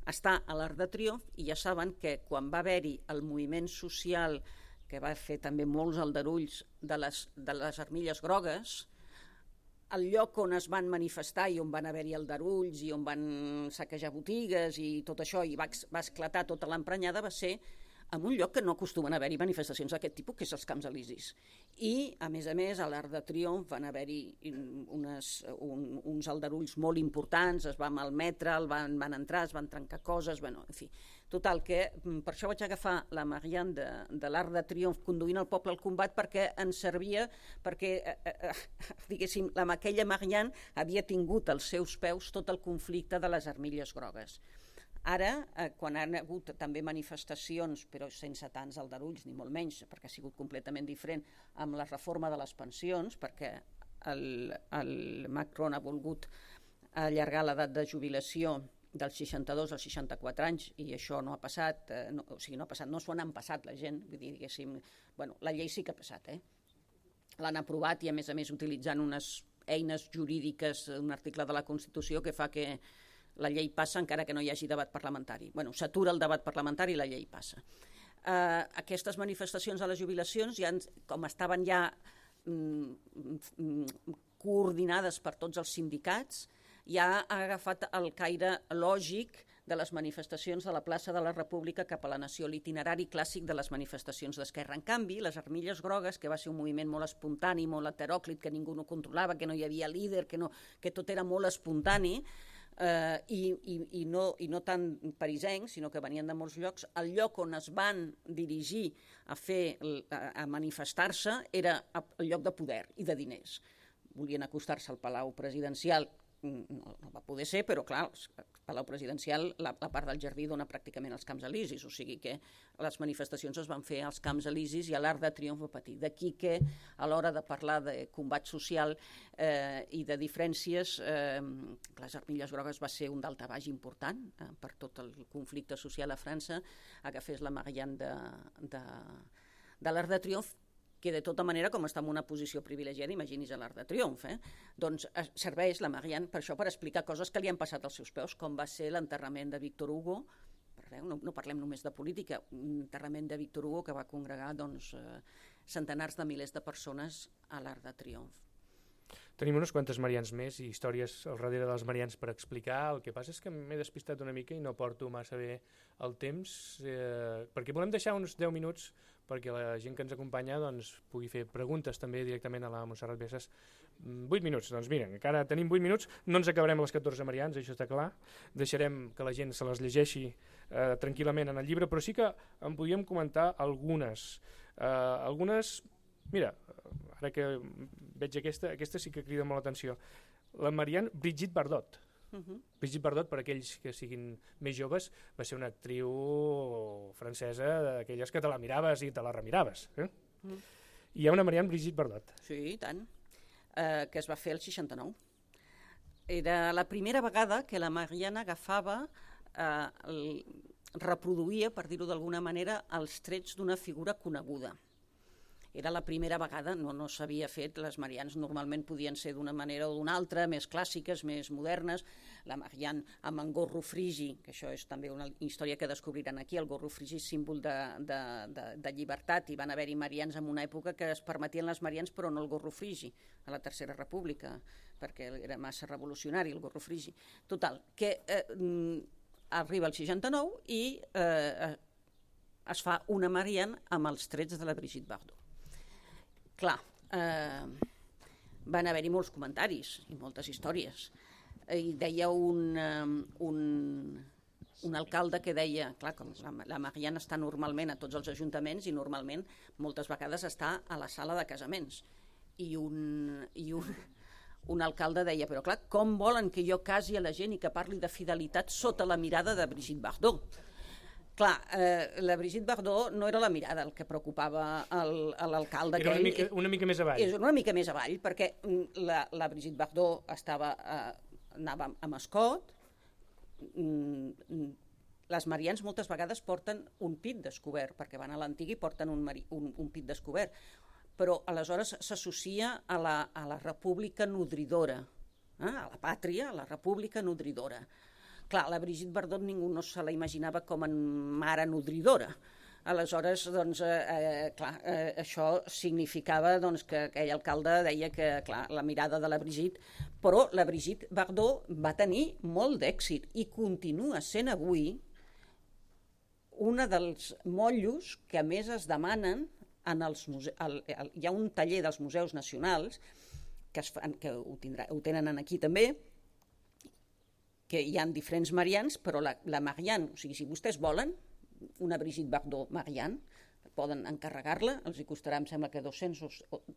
està a l'Arc de Triomf, i ja saben que quan va haver-hi el moviment social que va fer també molts aldarulls de les, de les armilles grogues, el lloc on es van manifestar i on van haver-hi aldarulls i on van saquejar botigues i tot això, i va, va esclatar tota l'emprenyada, va ser en un lloc que no acostumen a haver-hi manifestacions d'aquest tipus, que és els Camps Elisis. I, a més a més, a l'Arc de Triomf van haver-hi unes, un, uns aldarulls molt importants, es va malmetre, el van, van entrar, es van trencar coses, bueno, en fi. Total, que per això vaig agafar la Marianne de, de l'Arc de Triomf conduint el poble al combat, perquè ens servia, perquè, eh, eh, diguéssim, la, aquella Marianne havia tingut als seus peus tot el conflicte de les armilles grogues. Ara, eh, quan han hagut també manifestacions, però sense tants aldarulls, ni molt menys, perquè ha sigut completament diferent amb la reforma de les pensions, perquè el, el Macron ha volgut allargar l'edat de jubilació dels seixanta-dos als seixanta-quatre anys, i això no ha passat, eh, no, o sigui, no ha passat, no s'ho n'han passat la gent, vull dir, diguéssim, bueno, la llei sí que ha passat, eh? L'han aprovat i, a més a més, utilitzant unes eines jurídiques, un article de la Constitució que fa que la llei passa encara que no hi hagi debat parlamentari. Bueno, s'atura el debat parlamentari i la llei passa. Uh, aquestes manifestacions a les jubilacions, ja, com estaven ja mm, coordinades per tots els sindicats, ja ha agafat el caire lògic de les manifestacions de la plaça de la República cap a la Nació, l'itinerari clàssic de les manifestacions d'esquerra. En canvi, les Armilles Grogues, que va ser un moviment molt espontani, molt heteròclit, que ningú no controlava, que no hi havia líder, que, no, que tot era molt espontani, eh, i, i, i, no, i no tant parisencs, sinó que venien de molts llocs, el lloc on es van dirigir a, fer, a, a manifestar-se era el lloc de poder i de diners. Volien acostar-se al Palau Presidencial, no, no va poder ser, però clar, el Palau Presidencial, la, la part del jardí dona pràcticament als Camps Elisis, o sigui que les manifestacions es van fer als Camps Elisis i a l'Arc de Triomf va patir. D'aquí que a l'hora de parlar de combat social eh, i de diferències, eh, les Armilles Grogues va ser un daltabaix important eh, per tot el conflicte social a França, agafés la Marianne de, de, de l'Arc de Triomf, que de tota manera, com està en una posició privilegiada, imagini's a l'Arc de Triomf, eh? doncs serveix la Marianne per això, per explicar coses que li han passat als seus peus, com va ser l'enterrament de Victor Hugo, no, no parlem només de política, un enterrament de Victor Hugo que va congregar doncs, eh, centenars de milers de persones a l'Arc de Triomf. Tenim unes quantes Marians més i històries al darrere de les Marians per explicar. El que passa és que m'he despistat una mica i no porto massa bé el temps, eh, perquè volem deixar uns deu minuts perquè la gent que ens acompanya doncs, pugui fer preguntes també directament a la Montserrat Viesas. vuit minuts, doncs miren, encara tenim vuit minuts, no ens acabarem les catorze Marians, això està clar, deixarem que la gent se les llegeixi eh, tranquil·lament en el llibre, però sí que en podíem comentar algunes. Eh, algunes, mira, ara que veig aquesta, aquesta sí que crida molt l'atenció. La Marianne Brigitte Bardot. Uh -huh. Brigitte Bardot, per aquells que siguin més joves, va ser una actriu francesa d'aquelles que te la miraves i te la remiraves. Eh? Uh -huh. Hi ha una Marianne Brigitte Bardot. Sí, i tant, eh, que es va fer el seixanta-nou. Era la primera vegada que la Marianne agafava, eh, el, reproduïa, per dir-ho d'alguna manera, els trets d'una figura coneguda. Era la primera vegada, no, no s'havia fet, les Mariannes normalment podien ser d'una manera o d'una altra, més clàssiques, més modernes, la Marianne amb en gorro frigi, que això és també una història que descobriran aquí, el gorro frigi és símbol de, de, de, de llibertat, i van haver-hi Mariannes en una època que es permetien les Mariannes però no el gorro frigi, a la Tercera República, perquè era massa revolucionari el gorro frigi. Total, que eh, arriba el seixanta-nou i eh, es fa una Marianne amb els trets de la Brigitte Bardot. Clar, eh, van haver-hi molts comentaris i moltes històries. I deia un, un, un alcalde que deia, clar, com la, la Marianne està normalment a tots els ajuntaments i normalment moltes vegades està a la sala de casaments. I un, i un, un alcalde deia, però clar, com volen que jo casi a la gent i que parli de fidelitat sota la mirada de Brigitte Bardot? Clar, eh, la Brigitte Bardot no era la mirada el que preocupava l'alcalde. Era una, mica, una mica més avall. És una mica més avall, perquè la, la Brigitte Bardot estava, eh, anava amb escot. Les Mariannes moltes vegades porten un pit descobert, perquè van a l'antiga i porten un, un, un pit descobert. Però aleshores s'associa a, la, a la república nodridora, eh? A la pàtria, a la república nodridora. Clar, la Brigitte Bardot ningú no se la imaginava com a mare nodridora. Aleshores, doncs, eh, clar, eh, això significava doncs, que aquell alcalde deia que, clar, la mirada de la Brigitte... Però la Brigitte Bardot va tenir molt d'èxit i continua sent avui una dels motllos que més es demanen en els museus. El, el, hi ha un taller dels museus nacionals que, es fan, que ho, tindrà, ho tenen aquí també, que hi ha diferents Mariannes, però la, la Marianne, o sigui, si vostès volen una Brigitte Bardot Marianne, poden encarregar-la, els hi costarà, em sembla que dos-cents,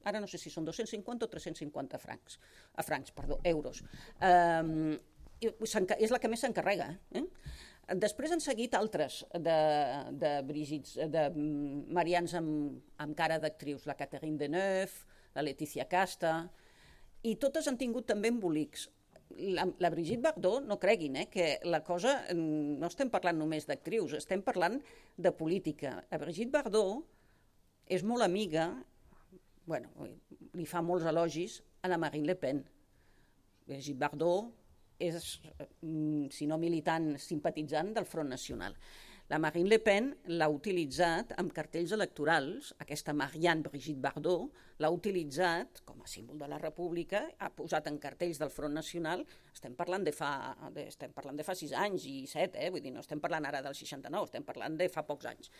ara no sé si són dos-cents cinquanta o tres-cents cinquanta francs, a francs, perdó, euros. Um, és la que més s'encarrega. Eh? Després han seguit altres de, de Brigitte, de Mariannes amb, amb cara d'actrius, la Catherine Deneuve, la Laetitia Casta, i totes han tingut també embolics. La, la Brigitte Bardot, no creguin, eh, que la cosa, no estem parlant només d'actrius, estem parlant de política. La Brigitte Bardot és molt amiga, bueno, li fa molts elogis a la Marine Le Pen. Brigitte Bardot és, si no militant, simpatitzant del Front Nacional. La Marine Le Pen l'ha utilitzat amb cartells electorals, aquesta Marianne Brigitte Bardot l'ha utilitzat com a símbol de la República, ha posat en cartells del Front Nacional, estem parlant de fa, de, estem parlant de fa sis anys i set, eh? Vull dir, no estem parlant ara del seixanta-nou, estem parlant de fa pocs anys.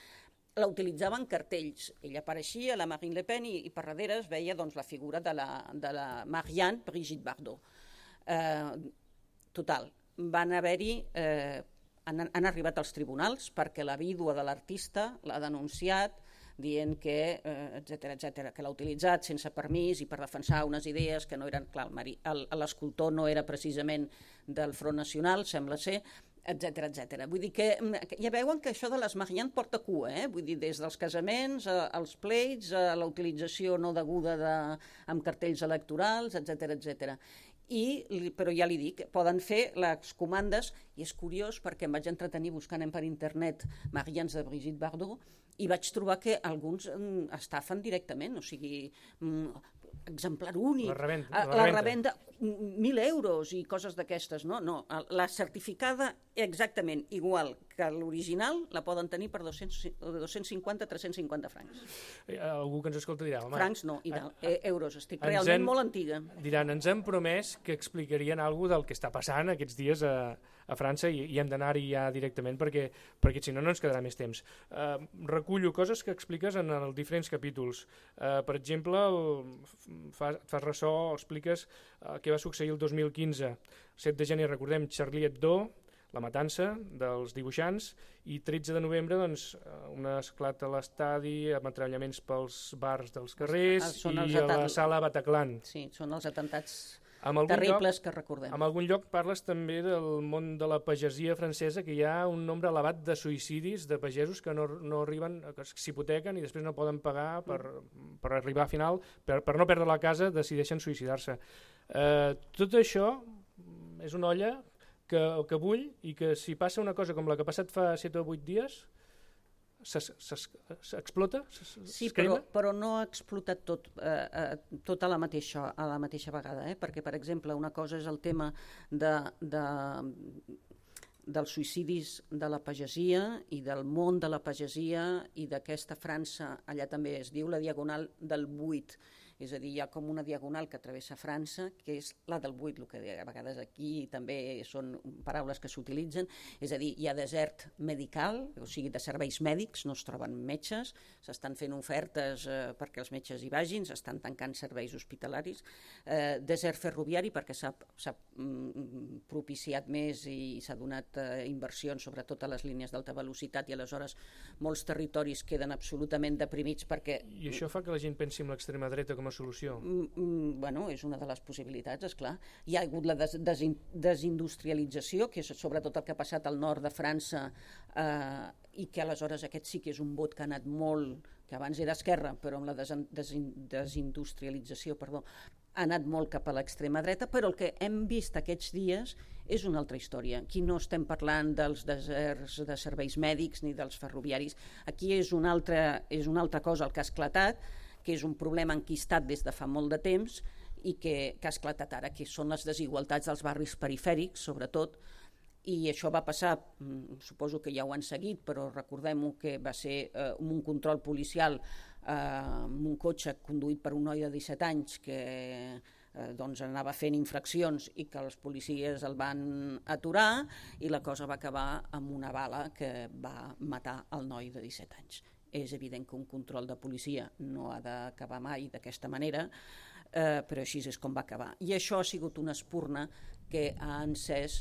La utilitzava en cartells, ella apareixia, la Marine Le Pen, i, i per darrere es veia doncs, la figura de la, de la Marianne Brigitte Bardot. Eh, total, van haver-hi... Eh, Han, han arribat als tribunals perquè la vídua de l'artista l'ha denunciat dient que, eh, etcètera, etcètera, que l'ha utilitzat sense permís i per defensar unes idees que no eren... Clar, l'escultor no era precisament del Front Nacional, sembla ser, etcètera, etcètera. Vull dir que ja veuen que això de les Marianne porta cua, eh? Vull dir, des dels casaments, als pleits, a la utilització no deguda de, amb cartells electorals, etcètera, etcètera. I, però ja li dic, poden fer les comandes, i és curiós perquè em vaig entretenir buscant per internet Mariannes de Brigitte Bardot i vaig trobar que alguns estafen directament, o sigui, exemplar únic, la revenda, la, la revenda mil euros i coses d'aquestes, no? No, la certificada exactament igual que l'original la poden tenir per dos-cents cinquanta a tres-cents cinquanta francs. Algú que ens escolta dirà... Home, francs no, i tal, eh, euros, estic realment hem, molt antiga. Diran, ens han promès que explicarien alguna del que està passant aquests dies a, a França i, i hem d'anar-hi ja directament perquè, perquè si no no ens quedarà més temps. Uh, recullo coses que expliques en els diferents capítols. Uh, per exemple, el, fa, fas ressò, expliques uh, què va succeir el dos mil quinze. set de gener, recordem, Charlie Hebdo, la matança dels dibuixants, i tretze de novembre doncs, un esclat a l'estadi, ametrallaments pels bars dels carrers i a la sala Bataclan. Sí, són els atentats lloc, terribles que recordem. En algun lloc parles també del món de la pagesia francesa, que hi ha un nombre elevat de suïcidis de pagesos que no, no arriben, que s'hipotequen i després no poden pagar per, per arribar a final, per, per no perdre la casa, decideixen suïcidar-se. Eh, tot això és una olla que, que bull i que si passa una cosa com la que ha passat fa set o vuit dies, s'explota? Sí, però, però no ha explotat tot, eh, eh, tot a, la mateixa, a la mateixa vegada, eh? Perquè, per exemple, una cosa és el tema de, de, dels suïcidis de la pagesia i del món de la pagesia i d'aquesta França, allà també es diu la diagonal del buit, és a dir, hi ha com una diagonal que travessa França, que és la del buit, el que a vegades aquí també són paraules que s'utilitzen, és a dir, hi ha desert medical, o sigui, de serveis mèdics, no es troben metges, s'estan fent ofertes eh, perquè els metges hi vagin, s'estan tancant serveis hospitalaris, eh, desert ferroviari perquè s'ha mm, propiciat més i s'ha donat eh, inversions sobretot a les línies d'alta velocitat i aleshores molts territoris queden absolutament deprimits perquè... I això fa que la gent pensi en l'extrema dreta com a solució? Mm, bueno, és una de les possibilitats, esclar. Hi ha hagut la des desin desindustrialització, que és sobretot el que ha passat al nord de França, eh, i que aleshores aquest sí que és un vot que ha anat molt, que abans era esquerra, però amb la desin desin desindustrialització, perdó, ha anat molt cap a l'extrema dreta, però el que hem vist aquests dies és una altra història. Aquí no estem parlant dels deserts de serveis mèdics ni dels ferroviaris, aquí és una altra, és una altra cosa el que ha esclatat, que és un problema enquistat des de fa molt de temps i que, que ha esclatat ara, que són les desigualtats dels barris perifèrics, sobretot, i això va passar, suposo que ja ho han seguit, però recordem-ho que va ser eh, un control policial eh, amb un cotxe conduït per un noi de disset anys que eh, doncs anava fent infraccions i que els policies el van aturar i la cosa va acabar amb una bala que va matar el noi de disset anys. És evident que un control de policia no ha d'acabar mai d'aquesta manera, eh, però així és com va acabar. I això ha sigut una espurna que ha encès,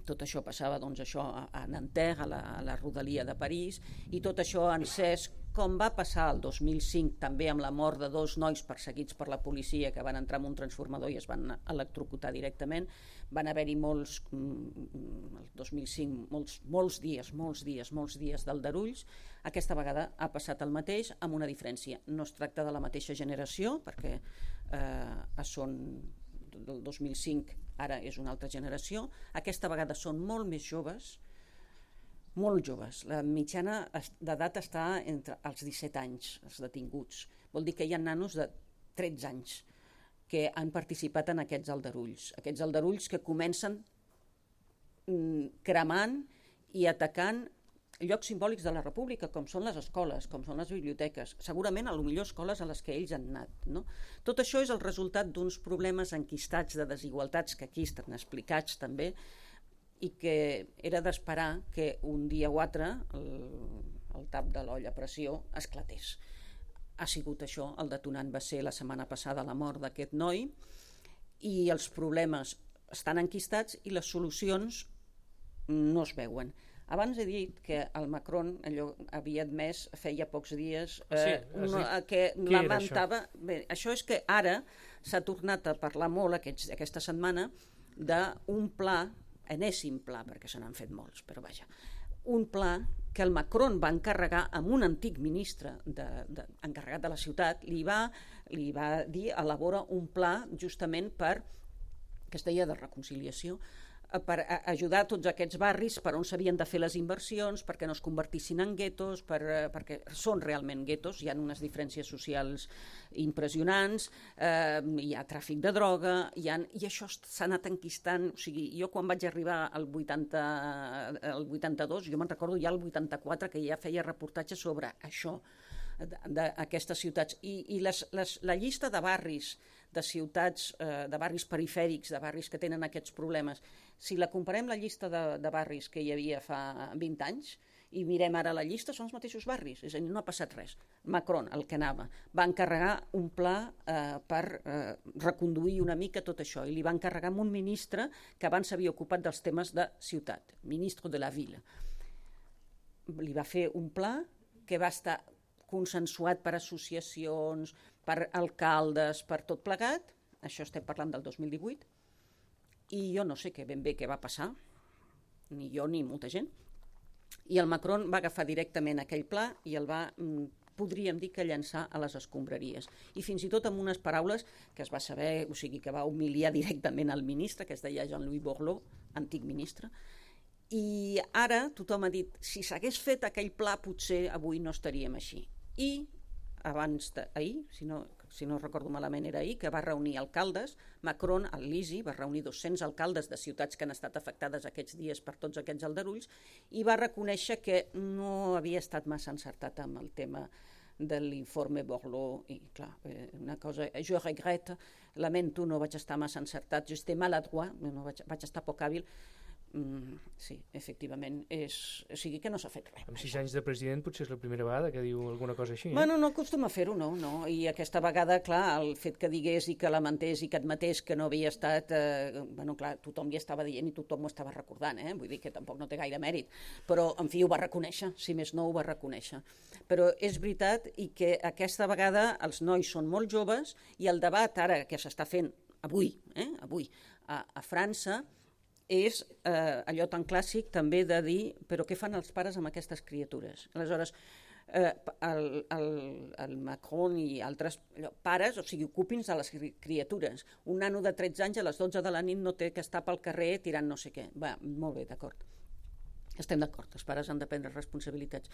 tot això passava doncs, això, a Nanterre, a la, a la rodalia de París, i tot això ha encès, com va passar el dos mil cinc també amb la mort de dos nois perseguits per la policia que van entrar en un transformador i es van electrocutar directament. Van haver-hi molts, el dos mil cinc, molts, molts dies, molts dies, molts dies d'aldarulls. Aquesta vegada ha passat el mateix amb una diferència. No es tracta de la mateixa generació, perquè eh, són del dos mil cinc, ara és una altra generació. Aquesta vegada són molt més joves, molt joves. La mitjana d'edat està entre els disset anys, els detinguts. Vol dir que hi ha nanos de tretze anys que han participat en aquests aldarulls. Aquests aldarulls que comencen cremant i atacant llocs simbòlics de la república, com són les escoles, com són les biblioteques, segurament a lo millor escoles a les que ells han anat. No? Tot això és el resultat d'uns problemes enquistats de desigualtats que aquí estan explicats també, i que era d'esperar que un dia o altre el, el tap de l'olla a pressió esclatés. Ha sigut això, el detonant va ser la setmana passada la mort d'aquest noi, i els problemes estan enquistats i les solucions no es veuen. Abans he dit que el Macron allò havia admès feia pocs dies eh, sí, una, que lamentava... Això? Bé, això és que ara s'ha tornat a parlar molt aquests, aquesta setmana d'un pla, enèsim pla, perquè se n'han fet molts, però vaja, un pla que el Macron va encarregar amb un antic ministre de, de, encarregat de la ciutat, li va, li va dir elabora un pla justament per, que es deia de reconciliació, per ajudar tots aquests barris per on s'havien de fer les inversions, perquè no es convertissin en guetos, per, perquè són realment guetos, hi ha unes diferències socials impressionants, eh, hi ha tràfic de droga, hi ha, i això s'ha anat enquistant. O sigui, jo quan vaig arribar al vuitanta, al vuitanta-dos, jo me'n recordo ja al vuitanta-quatre que ja feia reportatges sobre això, d'aquestes ciutats, i, i les, les, la llista de barris de ciutats, eh, de barris perifèrics, de barris que tenen aquests problemes, si la comparem la llista de, de barris que hi havia fa vint anys i mirem ara la llista, són els mateixos barris, és a dir, no ha passat res. Macron, el que anava, va encarregar un pla eh, per eh, reconduir una mica tot això, i li va encarregar a un ministre que abans s'havia ocupat dels temes de ciutat, ministre de la Ville. Li va fer un pla que va estar consensuat per associacions, per alcaldes, per tot plegat, això estem parlant del dos mil divuit, i jo no sé què ben bé què va passar, ni jo ni molta gent, i el Macron va agafar directament aquell pla i el va, podríem dir que llançar a les escombraries. I fins i tot amb unes paraules que es va saber, o sigui que va humiliar directament al ministre, que es deia Jean-Louis Borloo, antic ministre, i ara tothom ha dit, si s'hagués fet aquell pla potser avui no estaríem així. I abans d'ahir, si no, si no recordo malament era ahir, que va reunir alcaldes, Macron, al Lisi, va reunir dos-cents alcaldes de ciutats que han estat afectades aquests dies per tots aquests aldarulls, i va reconèixer que no havia estat massa encertat amb el tema de l'informe Borloo, i clar, una cosa, jo regrette, lamento, no vaig estar massa encertat, jo estic maladroit, no vaig, vaig estar poc hàbil. Mm, sí, efectivament, és, o sigui que no s'ha fet res. Amb sis anys de president potser és la primera vegada que diu alguna cosa així. Eh? Bueno, no acostuma a fer-ho, no, no, i aquesta vegada, clar, el fet que digués i que lamentés i que admetés que no havia estat, eh, bueno, clar, tothom li estava dient i tothom ho estava recordant, eh? Vull dir que tampoc no té gaire mèrit, però, en fi, ho va reconèixer, si més no ho va reconèixer. Però és veritat i que aquesta vegada els nois són molt joves i el debat ara que s'està fent avui, eh, avui a, a França, és eh, allò tan clàssic també de dir però què fan els pares amb aquestes criatures? Aleshores, eh, el, el, el Macron i altres allò, pares, o sigui, ocupin-se de les criatures. Un nano de tretze anys a les dotze de la nit no té que estar pel carrer tirant no sé què. Va, molt bé, d'acord. Estem d'acord, els pares han de prendre responsabilitats.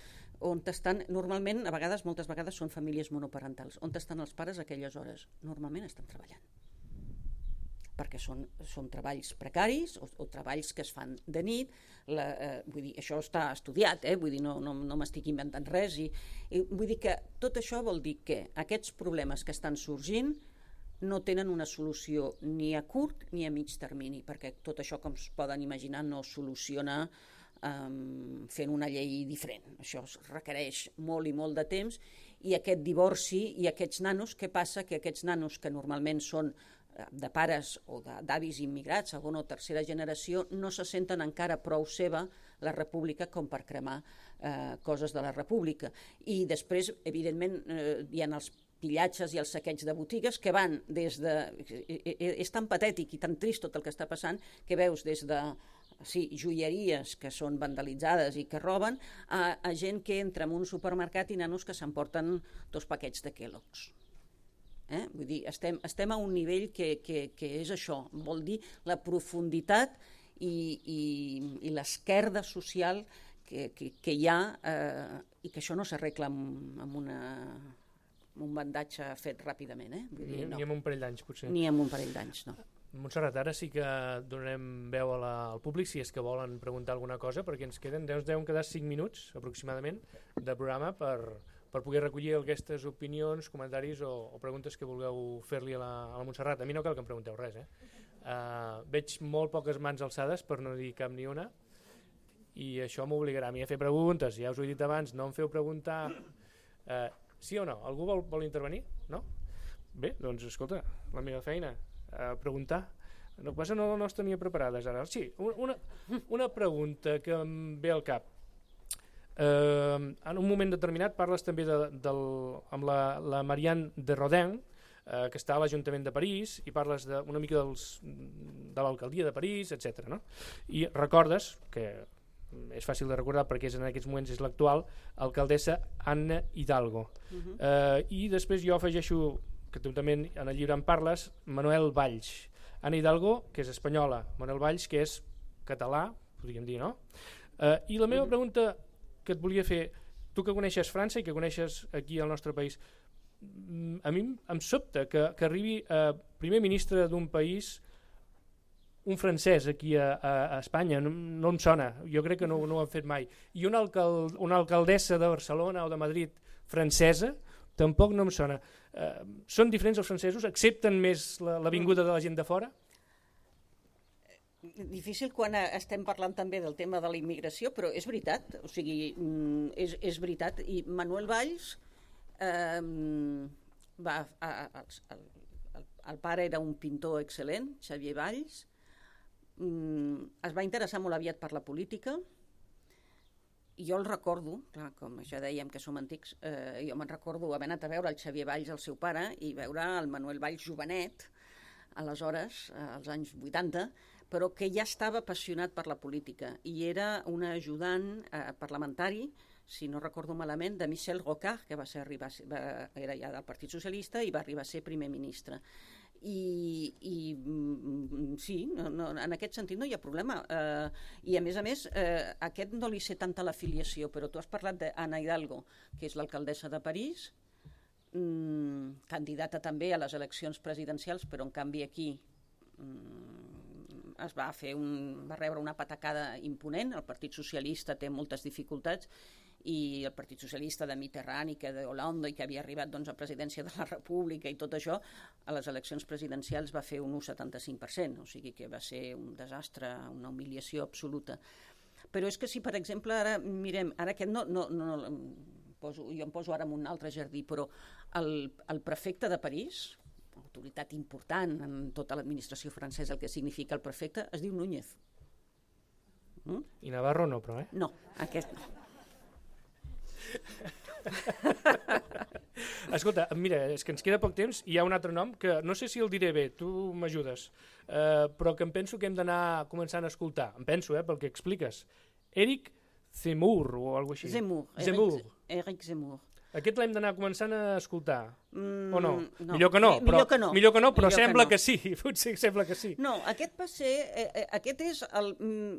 On estan, normalment, a vegades, moltes vegades són famílies monoparentals. On estan els pares a aquelles hores? Normalment estan treballant, perquè són, són treballs precaris o, o treballs que es fan de nit, la, eh, vull dir, això està estudiat, eh? Vull dir, no, no, no m'estic inventant res, i, i vull dir que tot això vol dir que aquests problemes que estan sorgint no tenen una solució ni a curt ni a mig termini, perquè tot això, com es poden imaginar, no es soluciona um, fent una llei diferent. Això es requereix molt i molt de temps, i aquest divorci i aquests nanos, què passa? Que aquests nanos que normalment són de pares o d'avis immigrats, segona o tercera generació, no se senten encara prou seva la república com per cremar eh, coses de la república. I després, evidentment, eh, hi ha els pillatges i els saqueig de botigues que van des de... És tan patètic i tan trist tot el que està passant que veus des de sí, joieries que són vandalitzades i que roben a, a gent que entra en un supermercat i nanos que s'emporten dos paquets de Kellogg's. Eh? Vull dir, estem, estem a un nivell que, que, que és això, vol dir la profunditat i, i, i l'esquerda social que, que, que hi ha eh, i que això no s'arregla amb, amb, una, amb un bandatge fet ràpidament. Eh? Vull dir, ni, no. ni amb un parell d'anys, potser. Ni amb un parell d'anys, no. Montserrat, ara sí que donarem veu a la, al públic si és que volen preguntar alguna cosa, perquè ens queden, ens deuen quedar cinc minuts aproximadament de programa per, per poder recollir aquestes opinions, comentaris o, o preguntes que vulgueu fer-li a, la, a la Montserrat. A mi no cal que em pregunteu res, eh? Uh, veig molt poques mans alçades, per no dir cap ni una, i això m'obligarà a mi a fer preguntes. Ja us ho he dit abans, no em feu preguntar... Uh, sí o no? Algú vol, vol intervenir? No? Bé, doncs escolta, la meva feina... a preguntar. No passa, no, no les tenia preparades ara. Sí, una, una pregunta que em ve al cap. Eh, en un moment determinat parles també de, del, amb la, la Marianne de Rodin, eh, que està a l'Ajuntament de París, i parles de, una mica dels, de l'alcaldia de París, etcètera. No? I recordes, que és fàcil de recordar perquè és en aquests moments és l'actual, alcaldessa Anna Hidalgo. Uh-huh. eh, I després jo afegeixo que tu també en el llibre en parles, Manuel Valls. Anna Hidalgo, que és espanyola, Manuel Valls, que és català, podríem dir, no? Eh, I la meva pregunta que et volia fer, tu que coneixes França i que coneixes aquí al nostre país, a mi em sobta que, que arribi eh, primer ministre d'un país un francès aquí a, a, a Espanya, no, no em sona, jo crec que no, no ho han fet mai. I una, alcal, una alcaldessa de Barcelona o de Madrid francesa, tampoc no em sona. Eh, són diferents els francesos? Accepten més la, la vinguda de la gent de fora? Difícil quan estem parlant també del tema de la immigració, però és veritat, o sigui, és, és veritat. I Manuel Valls, eh, va, a, a, el, el, el pare era un pintor excel·lent, Xavier Valls, mm, es va interessar molt aviat per la política. I jo el recordo, clar, com ja dèiem que som antics, eh, jo me'n recordo haver anat a veure el Xavier Valls, el seu pare, i veure el Manuel Valls jovenet, aleshores, eh, als anys vuitanta, però que ja estava apassionat per la política i era un ajudant eh, parlamentari, si no recordo malament, de Michel Rocard, que va ser arribar, va, era ja del Partit Socialista i va arribar a ser primer ministre. I, i sí, no, no, en aquest sentit no hi ha problema. Eh, I a més a més, eh, aquest no li sé tanta l'afiliació, però tu has parlat d'Anna Hidalgo, que és l'alcaldessa de París, mm, candidata també a les eleccions presidencials, però en canvi aquí mm, es va fer un, va rebre una patacada imponent. El Partit Socialista té moltes dificultats i el Partit Socialista de Mitterrand i que de Hollande i que havia arribat doncs, a presidència de la República i tot això, a les eleccions presidencials va fer un un coma setanta-cinc per cent, o sigui que va ser un desastre, una humiliació absoluta. Però és que si, per exemple, ara mirem, ara aquest no, no, no poso, jo em poso ara en un altre jardí, però el, el prefecte de París, autoritat important en tota l'administració francesa, el que significa el prefecte, es diu Núñez. Mm? I Navarro no, però, eh? No, aquest no. Escolta, mira, és que ens queda poc temps i hi ha un altre nom que no sé si el diré bé, tu m'ajudes, uh, però que em penso que hem d'anar començant a escoltar, em penso, eh, pel que expliques. Éric Zemmour o alguna cosa així. Zemmour. Zemmour. Éric Zemmour. Aquest l'hem d'anar començant a escoltar, mm, o no? no? Millor que no, però, millor que no, millor que no, però millor sembla que, que, no. que sí, potser sembla que sí. No, aquest va ser, eh, aquest és el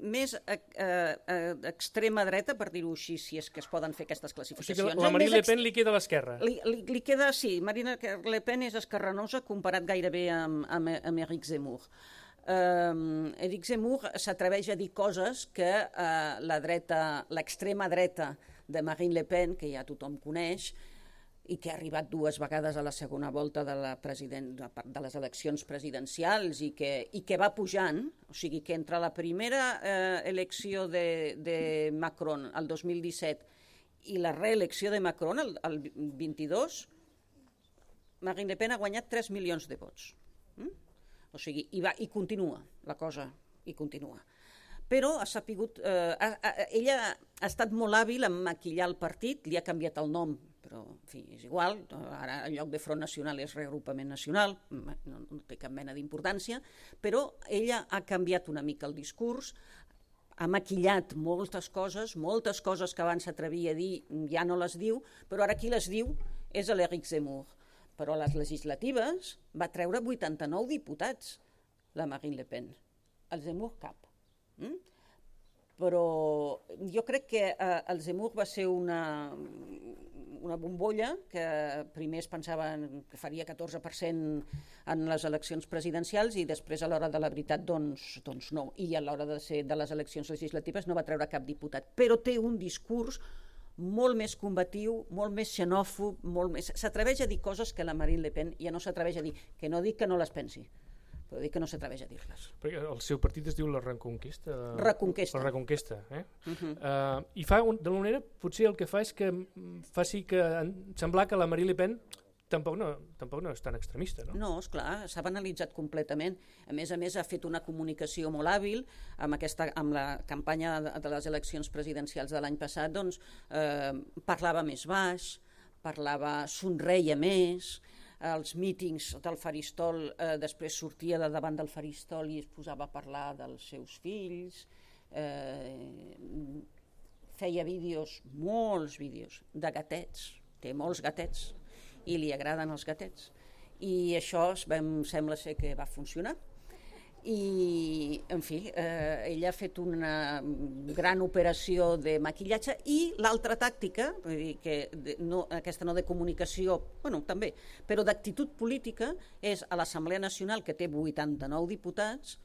més eh, eh, extrema dreta, per dir-ho així, si és que es poden fer aquestes classificacions. O sigui que la Marine Le Pen li queda a l'esquerra. Li, li, li queda, sí, Marine Le Pen és esquerranosa comparat gairebé amb, amb, amb Éric Zemmour. Um, Éric Zemmour s'atreveix a dir coses que uh, la dreta, l'extrema dreta de Marine Le Pen, que ja tothom coneix, i que ha arribat dues vegades a la segona volta de, la president, de les eleccions presidencials i que, i que va pujant, o sigui que entre la primera eh, elecció de, de Macron el dos mil disset i la reelecció de Macron el, el vint-i-dos, Marine Le Pen ha guanyat tres milions de vots. Mm? O sigui, i, va, i continua la cosa, i continua. Però ha sapigut, eh, ha, ha, ella ha estat molt hàbil en maquillar el partit, li ha canviat el nom, però en fi, és igual, ara en lloc de Front Nacional és Reagrupament Nacional, no, no té cap mena d'importància, però ella ha canviat una mica el discurs, ha maquillat moltes coses, moltes coses que abans s'atrevia a dir ja no les diu, però ara qui les diu és l'Éric Zemmour. Però a les legislatives va treure vuitanta-nou diputats, la Marine Le Pen. El Zemmour cap. Mm? Però jo crec que eh, el Zemmour va ser una, una bombolla que primer es pensava que faria catorze per cent en les eleccions presidencials i després a l'hora de la veritat doncs, doncs no, i a l'hora de ser de les eleccions legislatives no va treure cap diputat, però té un discurs molt més combatiu, molt més xenòfob, molt més... s'atreveix a dir coses que la Marine Le Pen ja no s'atreveix a dir, que no dic que no les pensi, però dic que no s'atreveix a dir-les. Perquè el seu partit es diu la Reconquista. Reconquesta. La Reconquesta, eh? Uh -huh. uh, I fa, un, d'alguna manera, potser el que fa és que faci que semblar que la Marine Le Pen tampoc no, tampoc no és tan extremista, no? No, esclar, s'ha banalitzat completament. A més a més, ha fet una comunicació molt hàbil amb, aquesta, amb la campanya de, de les eleccions presidencials de l'any passat, doncs eh, parlava més baix, parlava, somreia més, als mítings del faristol eh, després sortia de davant del faristol i es posava a parlar dels seus fills, eh, feia vídeos, molts vídeos, de gatets, té molts gatets, i li agraden els gatets. I això em sembla ser que va funcionar. I, en fi, eh, ella ha fet una gran operació de maquillatge i l'altra tàctica, vull dir que no, aquesta no de comunicació, bueno, també, però d'actitud política, és a l'Assemblea Nacional, que té vuitanta-nou diputats,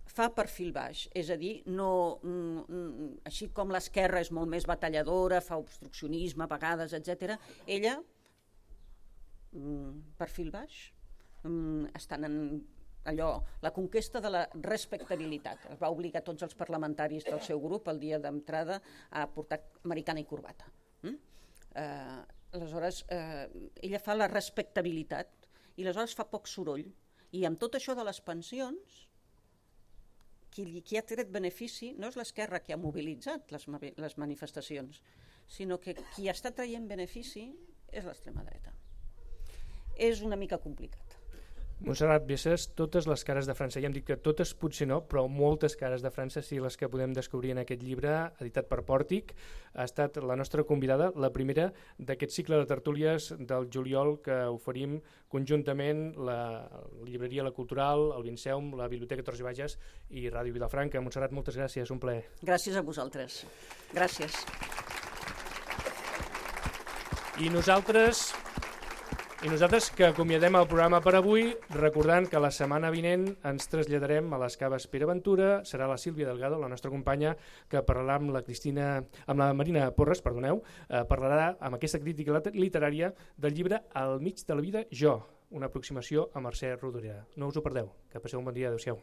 fa perfil baix, és a dir, no, mm, així com l'esquerra és molt més batalladora, fa obstruccionisme a vegades, etcètera, ella perfil baix, estan en allò, la conquesta de la respectabilitat. Es va obligar tots els parlamentaris del seu grup el dia d'entrada a portar americana i corbata. Mm? Eh, aleshores, eh, ella fa la respectabilitat i aleshores fa poc soroll. I amb tot això de les pensions, qui, qui ha tret benefici no és l'esquerra que ha mobilitzat les, les manifestacions, sinó que qui està traient benefici és l'extrema dreta. És una mica complicat. Montserrat Viesses, totes les cares de França, ja hem dit que totes potser no, però moltes cares de França sí les que podem descobrir en aquest llibre editat per Pòrtic. Ha estat la nostra convidada, la primera d'aquest cicle de tertúlies del juliol que oferim conjuntament la Llibreria La Cultural, el Vinceum, la Biblioteca Torres i Bages i Ràdio Vilafranca. Montserrat, moltes gràcies, un plaer. Gràcies a vosaltres. Gràcies. I nosaltres... I nosaltres que acomiadem el programa per avui, recordant que la setmana vinent ens traslladarem a les Caves Pere Ventura, serà la Sílvia Delgado, la nostra companya, que parlarà amb la Cristina, amb la Marina Porres, perdoneu, eh, parlarà amb aquesta crítica literària del llibre Al mig de la vida, jo, una aproximació a Mercè Rodoreda. No us ho perdeu, que passeu un bon dia, adéu-siau.